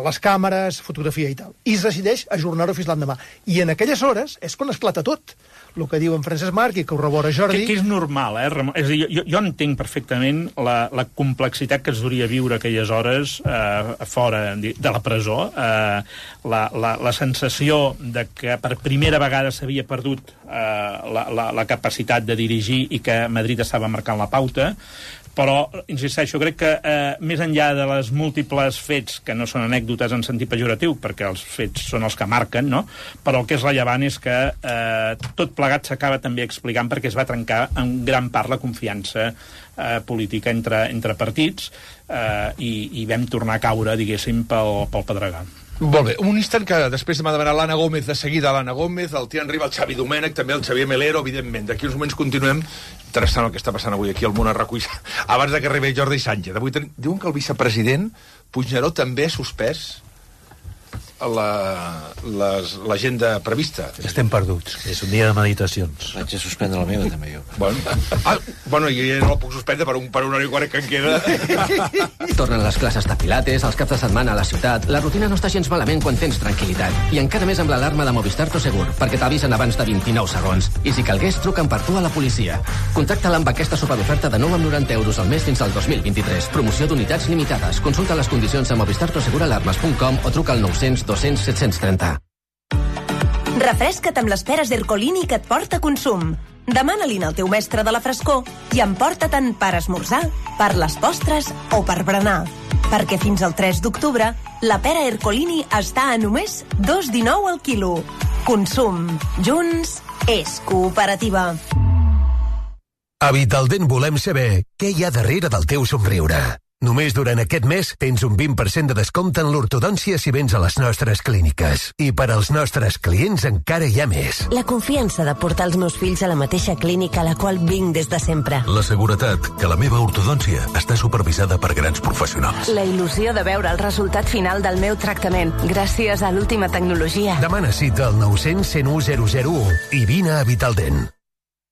les càmeres, fotografia i tal. I es decideix ajornar-ho fins l'endemà. I en aquelles hores és quan esclata tot. El que diu en Francesc Marc i que ho rebora Jordi... Que, que és normal, eh, Ramon? És a dir, jo, jo entenc perfectament la, la complexitat que es duria viure aquelles hores eh, fora de la presó, eh, la, la, la sensació de que per primera vegada s'havia perdut eh, la, la, la capacitat de dirigir i que Madrid estava marcant la pauta, però, insisteixo, crec que eh, més enllà de les múltiples fets, que no són anècdotes en sentit pejoratiu, perquè els fets són els que marquen, no? Però el que és rellevant és que eh, tot plegat s'acaba també explicant perquè es va trencar en gran part la confiança eh, política entre, entre partits eh, i, i vam tornar a caure, diguéssim, pel, pel pedregar. Molt bé, un instant que després m'ha demanat l'Anna Gómez, de seguida l'Anna Gómez, el Tian Riba, el Xavi Domènech, també el Xavier Melero, evidentment. D'aquí uns moments continuem. Interessant el que està passant avui aquí al món a RAC u. Abans de que arribi Jordi Sánchez. Avui ten... diuen que el vicepresident Puigneró també ha suspès l'agenda prevista. Estem perduts. És un dia de meditacions. Vaig a suspendre la meva, també, jo. Bueno, ah, bueno jo ja no la puc suspendre per un, per una hora i quart que en queda. Tornen les classes de pilates, els caps de setmana a la ciutat. La rutina no està gens malament quan tens tranquil·litat. I encara més amb l'alarma de Movistar Prosegur, perquè t'avisen abans de vint-i-nou segons. I si calgués, truquen per tu a la policia. Contacta-la amb aquesta superoferta de nou coma noranta euros al mes fins al dos mil vint-i-tres. Promoció d'unitats limitades. Consulta les condicions a movistar prosegur alarmes punt com o truca al nou cents dos cents set cents trenta. Refresca't amb les peres Ercolini que et porta Consum. Demana-li'n al teu mestre de la frescor i emporta-te'n per esmorzar, per les postres o per berenar. Perquè fins al tres d'octubre la pera Ercolini està a només dos coma dinou al quilo. Consum. Junts és cooperativa. A Vitaldent volem saber què hi ha darrere del teu somriure. Només durant aquest mes tens un vint per cent de descompte en l'ortodòncia si vens a les nostres clíniques. I per als nostres clients encara hi ha més. La confiança de portar els meus fills a la mateixa clínica a la qual vinc des de sempre. La seguretat que la meva ortodòncia està supervisada per grans professionals. La il·lusió de veure el resultat final del meu tractament gràcies a l'última tecnologia. Demana cita al nou cents cent u zero zero u i vine a Vitaldent.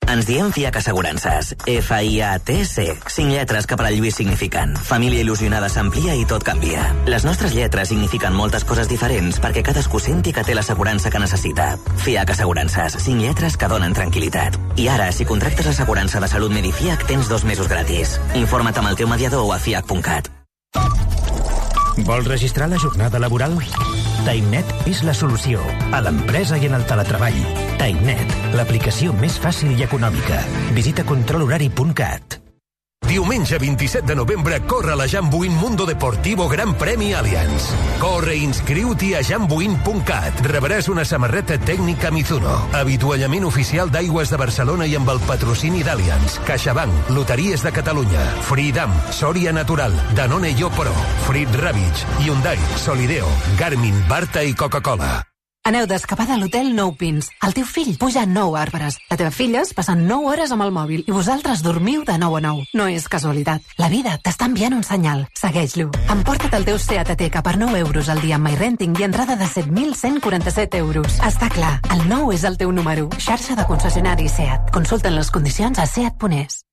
Ens diem Fiac Assegurances. F I A T C. Cinc lletres que per al Lluís signifiquen família il·lusionada s'amplia i tot canvia. Les nostres lletres signifiquen moltes coses diferents perquè cadascú senti que té l'assegurança que necessita. Fiac Assegurances. Cinc lletres que donen tranquil·litat. I ara, si contractes l'assegurança de salut Medifiac, tens dos mesos gratis. Informa't amb el teu mediador o a fiac punt cat. Vols registrar la jornada laboral? TimeNet és la solució a l'empresa i en el teletreball. TimeNet, l'aplicació més fàcil i econòmica. Visita control horari punt cat. Diumenge vint-i-set de novembre corre la Jambuin Mundo Deportivo Gran Premi Allianz. Corre i inscriu-t'hi a jambuin punt cat. Rebràs una samarreta tècnica Mizuno, avituallament oficial d'Aigües de Barcelona i amb el patrocini d'Allianz, CaixaBank, Loteries de Catalunya, Freedom, Soria Natural, Danone Yo Pro, Frit Ravitch, Hyundai, Solideo, Garmin, Barta i Coca-Cola. Aneu d'escapada a l'hotel Nou Pins. El teu fill puja nou arbres. La teva filla es passa nou hores amb el mòbil i vosaltres dormiu de nou a nou. No és casualitat. La vida t'està enviant un senyal. Segueix-lo. Emporta't el teu Seat Ateca per nou euros al dia amb MyRenting i entrada de set mil cent quaranta-set euros. Està clar, el nou és el teu número. Xarxa de concessionaris Seat. Consulten les condicions a seat punt es.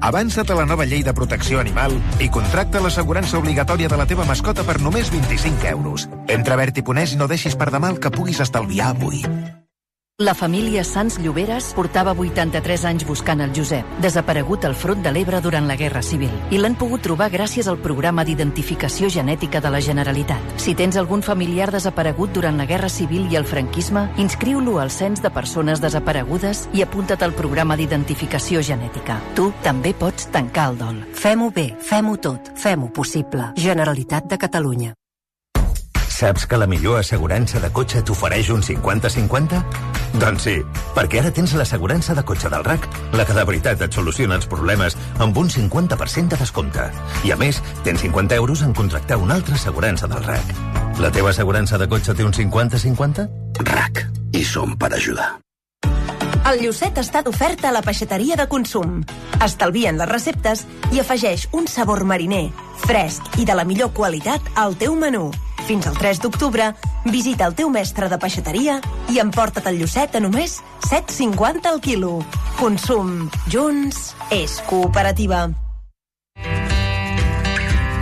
Avança't a la nova llei de protecció animal i contracta l'assegurança obligatòria de la teva mascota per només vint-i-cinc euros. Entra a Berti punt es i no deixis per demà el que puguis estalviar avui. La família Sans Lloberes portava vuitanta-tres anys buscant el Josep, desaparegut al front de l'Ebre durant la Guerra Civil, i l'han pogut trobar gràcies al programa d'identificació genètica de la Generalitat. Si tens algun familiar desaparegut durant la Guerra Civil i el franquisme, inscriu-lo al Cens de Persones Desaparegudes i apunta't al programa d'identificació genètica. Tu també pots tancar el dol. Fem-ho bé, fem-ho tot, fem-ho possible. Generalitat de Catalunya. Saps que la millor assegurança de cotxe t'ofereix un cinquanta cinquanta? Doncs sí, perquè ara tens l'assegurança de cotxe del R A C, la que de veritat et soluciona els problemes amb un cinquanta per cent de descompte. I a més, tens cinquanta euros en contractar una altra assegurança del R A C. La teva assegurança de cotxe té un cinquanta cinquanta? R A C. I som per ajudar. El Llucet està d'oferta a la peixateria de consum. Estalvien les receptes i afegeix un sabor mariner, fresc i de la millor qualitat al teu menú. Fins al tres d'octubre, visita el teu mestre de peixateria i emporta't el Llucet a només set coma cinquanta al quilo. Consum. Junts és cooperativa.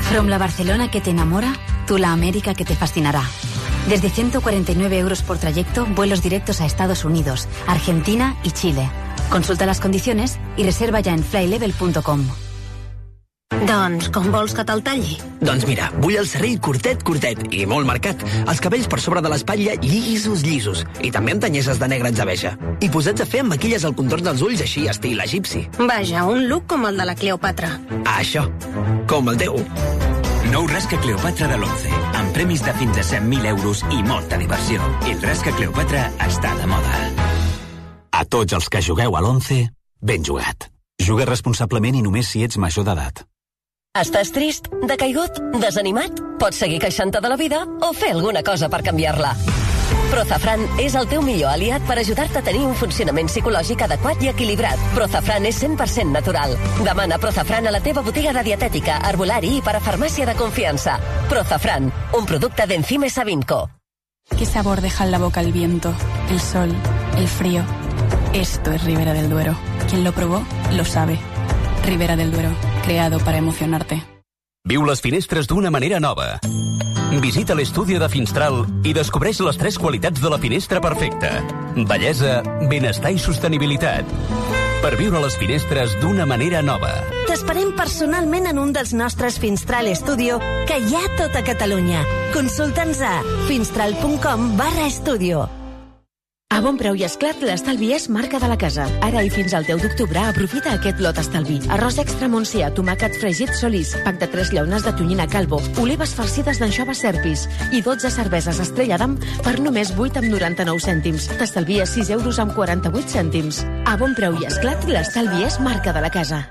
From la Barcelona que te enamora, tú la América que te fascinará. Desde ciento cuarenta y nueve euros por trayecto, vuelos directos a Estados Unidos, Argentina y Chile. Consulta las condiciones y reserva ya en flylevel punto com. Doncs com vols que te'l talli? Doncs mira, vull el serrell curtet, curtet i molt marcat. Els cabells per sobre de l'espatlla llisos, llisos. I també amb tanyeses de negre atzabeja. I posats a fer amb maquilles al contorn dels ulls així, estil egipci. Vaja, un look com el de la Cleopatra. Ah, això. Com el teu. Nou Rasca Cleopatra de l'Once, amb premis de fins a cent mil euros i molta diversió. El Rasca Cleopatra està de moda. A tots els que jugueu a l'Once, ben jugat. Juga responsablement i només si ets major d'edat. Estàs trist, decaigut, desanimat? Pots seguir queixant-te de la vida o fer alguna cosa per canviar-la. Prozafran és el teu millor aliat per ajudar-te a tenir un funcionament psicològic adequat i equilibrat. Prozafran és cent per cent natural. Demana Prozafran a la teva botiga de dietètica, herbolari i parafarmàcia de confiança. Prozafran, un producte d'Enzime Savinco. ¿Qué sabor deja en la boca el viento, el sol, el frío? Esto es Ribera del Duero. Quien lo probó, lo sabe. Ribera del Duero, creado para emocionarte. Viu les finestres d'una manera nova. Visita l'estudi de Finstral i descobreix les tres qualitats de la finestra perfecta. Bellesa, benestar i sostenibilitat. Per viure les finestres d'una manera nova. T'esperem personalment en un dels nostres Finstral Studio que hi ha a tota Catalunya. Consulta'ns a finstral punt com barra estudio. A Bon Preu i Esclat, l'estalvi és marca de la casa. Ara i fins al deu d'octubre, aprofita aquest lot estalvi. Arròs extra Montsià, tomàquet fregit Solís, pack de tres llaunes de tonyina Calvo, olives farcides d'anxova Serpis i dotze cerveses Estrella d'Am per només vuit amb noranta-nou cèntims. T'estalvies sis euros amb quaranta-vuit cèntims. A Bon Preu i Esclat, l'estalvi és marca de la casa.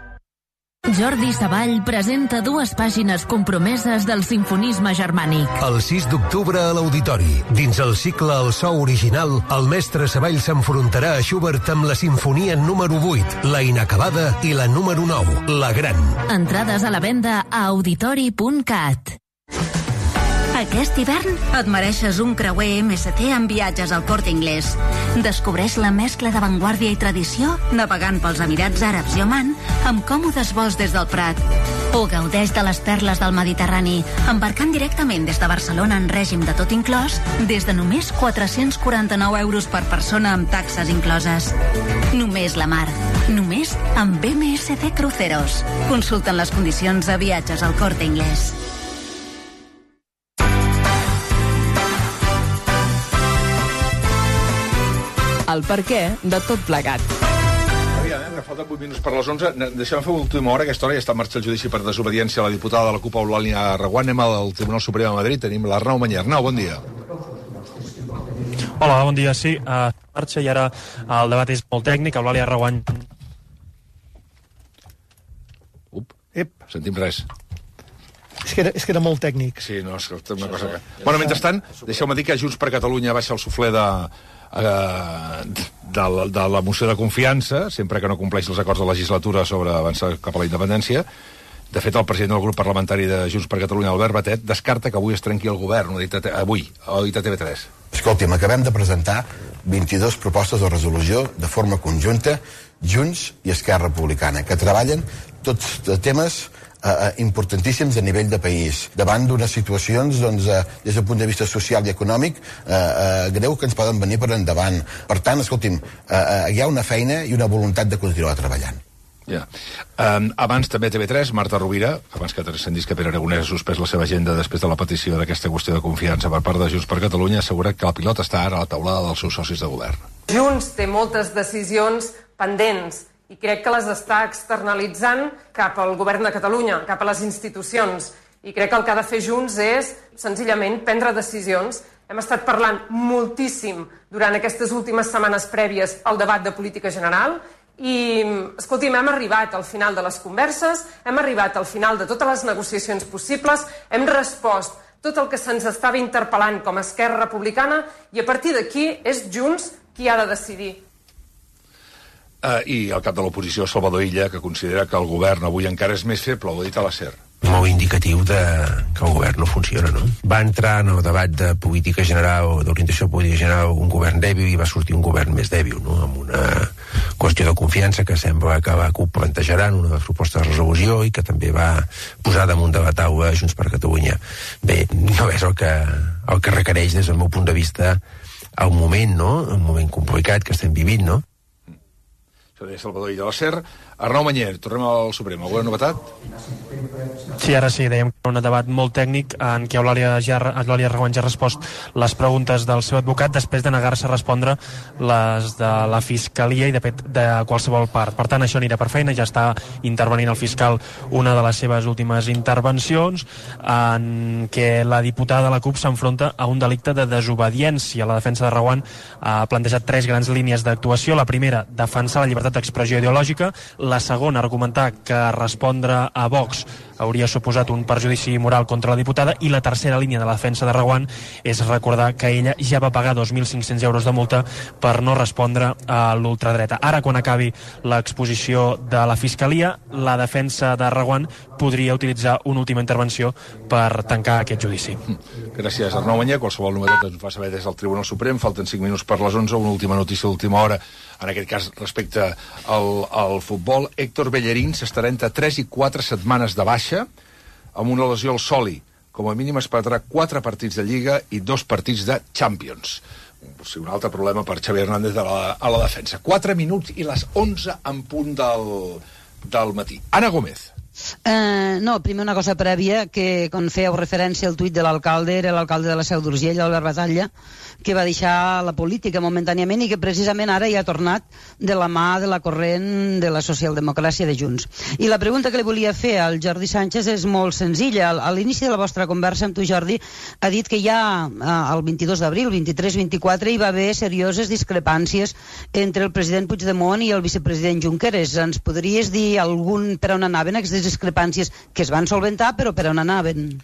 Jordi Savall presenta dues pàgines compromeses del simfonisme germànic. El sis d'octubre a l'Auditori, dins el cicle El so original, el mestre Savall s'enfrontarà a Schubert amb la sinfonia número vuit, la inacabada i la número nou, la gran. Entrades a la venda a auditori punt cat. Aquest hivern et mereixes un creuer M S T amb viatges al Corte Inglés. Descobreix la mescla d'avantguàrdia i tradició navegant pels Emirats Àrabs i Oman amb còmodes vols des del Prat. O gaudeix de les perles del Mediterrani embarcant directament des de Barcelona en règim de tot inclòs des de només quatre-cents quaranta-nou euros per persona amb taxes incloses. Només la mar. Només amb M S C Cruceros. Consulten les condicions a viatges al Corte Inglés. El per què de tot plegat. Aviam, eh, falten vuit minuts per les onze. Deixem fer l'última hora. Aquesta hora ja està en marxa el judici per desobediència a la diputada de la CUP, Eulàlia Reguant. Anem al Tribunal Suprem de Madrid. Tenim l'Arnau Mañé. Arnau, bon dia. Hola, bon dia. Sí, a marxa i ara el debat és molt tècnic. Eulàlia Reguant. Up, Ep. sentim res. És que, era, és que era molt tècnic. Sí, no, és que una cosa que... Bueno, mentrestant, deixeu-me dir que Junts per Catalunya baixa el suflé de... Uh, de, la, de la moció de confiança, sempre que no compleix els acords de legislatura sobre avançar cap a la independència. De fet, el president del grup parlamentari de Junts per Catalunya, Albert Batet, descarta que avui es trenqui el govern, ho ha dit a, avui, ho ha dit a T V tres. Escolti'm, acabem de presentar vint-i-dues propostes de resolució de forma conjunta, Junts i Esquerra Republicana, que treballen tots temes Uh, importantíssims a nivell de país, davant d'unes situacions doncs, uh, des del punt de vista social i econòmic uh, uh, greu que ens poden venir per endavant. Per tant, escolti'm, uh, uh, hi ha una feina i una voluntat de continuar treballant. Ja. Um, abans també a T V tres, Marta Rovira, abans que transcendís que Pere Aragonès ha suspès la seva agenda després de la petició d'aquesta qüestió de confiança per part de Junts per Catalunya, assegura que el pilot està ara a la taulada dels seus socis de govern. Junts té moltes decisions pendents i crec que les està externalitzant cap al govern de Catalunya, cap a les institucions. I crec que el que ha de fer Junts és, senzillament, prendre decisions. Hem estat parlant moltíssim durant aquestes últimes setmanes prèvies al debat de política general i, escolti'm, hem arribat al final de les converses, hem arribat al final de totes les negociacions possibles, hem respost tot el que se'ns estava interpel·lant com a Esquerra Republicana i a partir d'aquí és Junts qui ha de decidir. Uh, I el cap de l'oposició, Salvador Illa, que considera que el govern avui encara és més feble, ho ha dit a la SER. Molt indicatiu de que el govern no funciona, no? Va entrar en el debat de política general, d'orientació política general, un govern dèbil i va sortir un govern més dèbil, no? Amb una qüestió de confiança que sembla que la CUP plantejarà en una proposta de resolució i que també va posar damunt de la taula Junts per Catalunya. Bé, no és el que, el que requereix des del meu punt de vista el moment, no? El moment complicat que estem vivint, no? Això deia Salvador Illa de la SER. Arnau Manyer, tornem al Suprem. Alguna novetat? Sí, ara sí, dèiem que un debat molt tècnic en què Eulàlia ja, Eulàlia Reguant ja ha respost les preguntes del seu advocat després de negar-se a respondre les de la Fiscalia i de, de qualsevol part. Per tant, això anirà per feina, ja està intervenint el fiscal una de les seves últimes intervencions en què la diputada de la CUP s'enfronta a un delicte de desobediència. La defensa de Reguant ha plantejat tres grans línies d'actuació. La primera, defensar la llibertat d'expressió ideològica. La segona, argumentar que respondre a Vox hauria suposat un perjudici moral contra la diputada, i la tercera línia de la defensa de Reguant és recordar que ella ja va pagar dos mil cinc-cents euros de multa per no respondre a l'ultradreta. Ara, quan acabi l'exposició de la Fiscalia, la defensa de Reguant podria utilitzar una última intervenció per tancar aquest judici. Gràcies, Arnau Manyer. Qualsevol novetat ens fa saber des del Tribunal Suprem. Falten cinc minuts per les onze. Una última notícia d'última hora, en aquest cas respecte al, al futbol. Héctor Bellerín s'estarà entre tres i quatre setmanes de baixa amb una lesió al sòli. Com a mínim es perdrà quatre partits de Lliga i dos partits de Champions. O sigui, un altre problema per Xavi Hernández a la, a la defensa. Quatre minuts i les onze en punt del, del matí. Ana Gómez. Uh, no, primer una cosa prèvia, que quan fèieu referència al tuit de l'alcalde, era l'alcalde de la Seu d'Urgell, Albert Batalla, que va deixar la política momentàniament i que precisament ara hi ha tornat de la mà de la corrent de la socialdemocràcia de Junts. I la pregunta que li volia fer al Jordi Sánchez és molt senzilla. A l'inici de la vostra conversa amb tu, Jordi, ha dit que ja el vint-i-dos d'abril, vint-i-tres vint-i-quatre, hi va haver serioses discrepàncies entre el president Puigdemont i el vicepresident Junqueras. Ens podries dir algun per on anaven aquestes discrepàncies, que es van solventar, però per on anaven?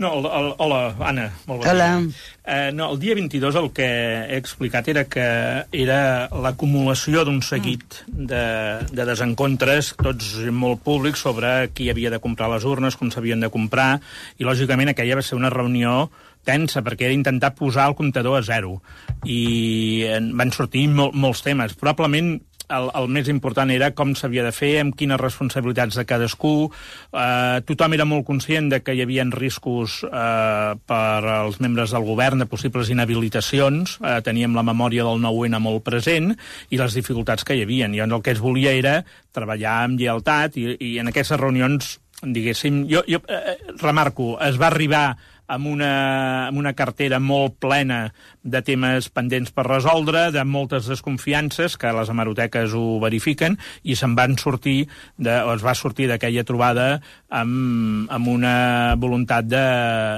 No, el, el, hola, Anna, molt bon hola. dia. Eh, no, el dia vint-i-dos el que he explicat era que era l'acumulació d'un seguit de, de desencontres, tots molt públics, sobre qui havia de comprar les urnes, com s'havien de comprar, i lògicament aquella va ser una reunió tensa, perquè era intentar posar el comptador a zero. I van sortir mol, molts temes. Probablement El, el més important era com s'havia de fer, amb quines responsabilitats de cadascú. Eh, tothom era molt conscient de que hi havia riscos eh, per als membres del govern de possibles inhabilitacions. Eh, teníem la memòria del nou ene molt present i les dificultats que hi havia. I el que es volia era treballar amb lleialtat i, i en aquestes reunions, diguéssim, jo, jo eh, remarco, es va arribar amb una, amb una cartera molt plena de temes pendents per resoldre, de moltes desconfiances, que les hemeroteques ho verifiquen, i se'n van sortir, de, o es va sortir d'aquella trobada amb, amb una voluntat de,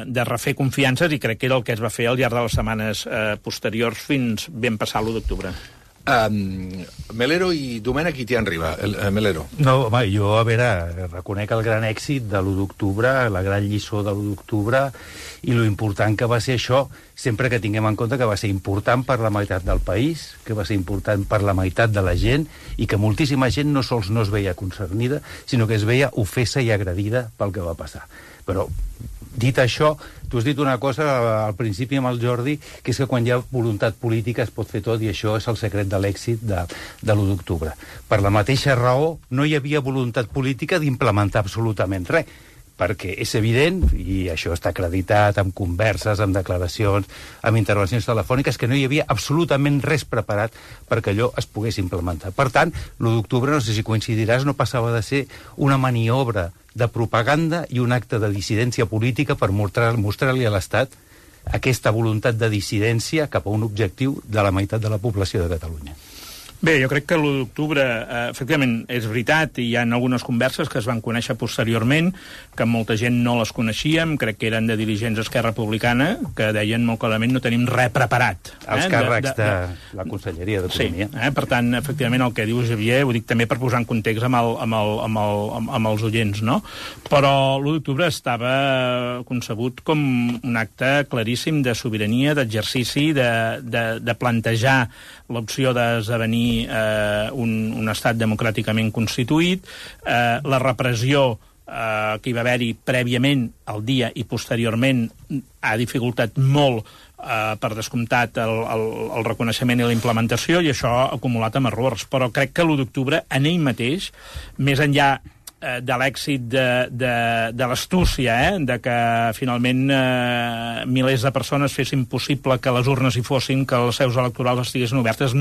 de refer confiances, i crec que era el que es va fer al llarg de les setmanes eh, posteriors fins ben passar l'u d'octubre. Um, Melero i Domènech, qui t'hi arriba? El, uh, Melero. No, home, jo, a veure, reconec el gran èxit de l'u d'octubre, la gran lliçó de l'u d'octubre, i lo important que va ser això, sempre que tinguem en compte que va ser important per la meitat del país, que va ser important per la meitat de la gent, i que moltíssima gent no sols no es veia concernida, sinó que es veia ofesa i agredida pel que va passar. Però, dit això, tu has dit una cosa al principi amb el Jordi, que és que quan hi ha voluntat política es pot fer tot, i això és el secret de l'èxit de, de l'u d'octubre. Per la mateixa raó, no hi havia voluntat política d'implementar absolutament res, perquè és evident, i això està acreditat amb converses, amb declaracions, amb intervencions telefòniques, que no hi havia absolutament res preparat perquè allò es pogués implementar. Per tant, l'u d'octubre, no sé si coincidiràs, no passava de ser una maniobra de propaganda i un acte de dissidència política per mostrar, mostrar-li a l'Estat aquesta voluntat de dissidència cap a un objectiu de la meitat de la població de Catalunya. Bé, jo crec que l'u d'octubre, eh, efectivament, és veritat, i hi ha algunes converses que es van conèixer posteriorment, que molta gent no les coneixíem, crec que eren de dirigents d'Esquerra Republicana, que deien molt clarament no tenim res preparat. Eh? Els càrrecs de, de, de la Conselleria d'Economia. Sí, eh? Per tant, efectivament, el que diu Xavier, ho dic també per posar en context amb, el, amb, el, amb, el, amb, amb els oients, no? Però l'u d'octubre estava concebut com un acte claríssim de sobirania, d'exercici, de, de, de plantejar l'opció d'esdevenir eh, un, un estat democràticament constituït, eh, la repressió eh, que hi va haver-hi prèviament al dia i posteriorment ha dificultat molt, eh, per descomptat, el, el, el reconeixement i la implementació, i això ha acumulat amb errors. Però crec que l'u d'octubre, en ell mateix, més enllà de l'èxit de, de, de l'astúcia, eh? De que finalment eh, milers de persones fessin possible que les urnes hi fossin, que les seus electorals estiguessin obertes,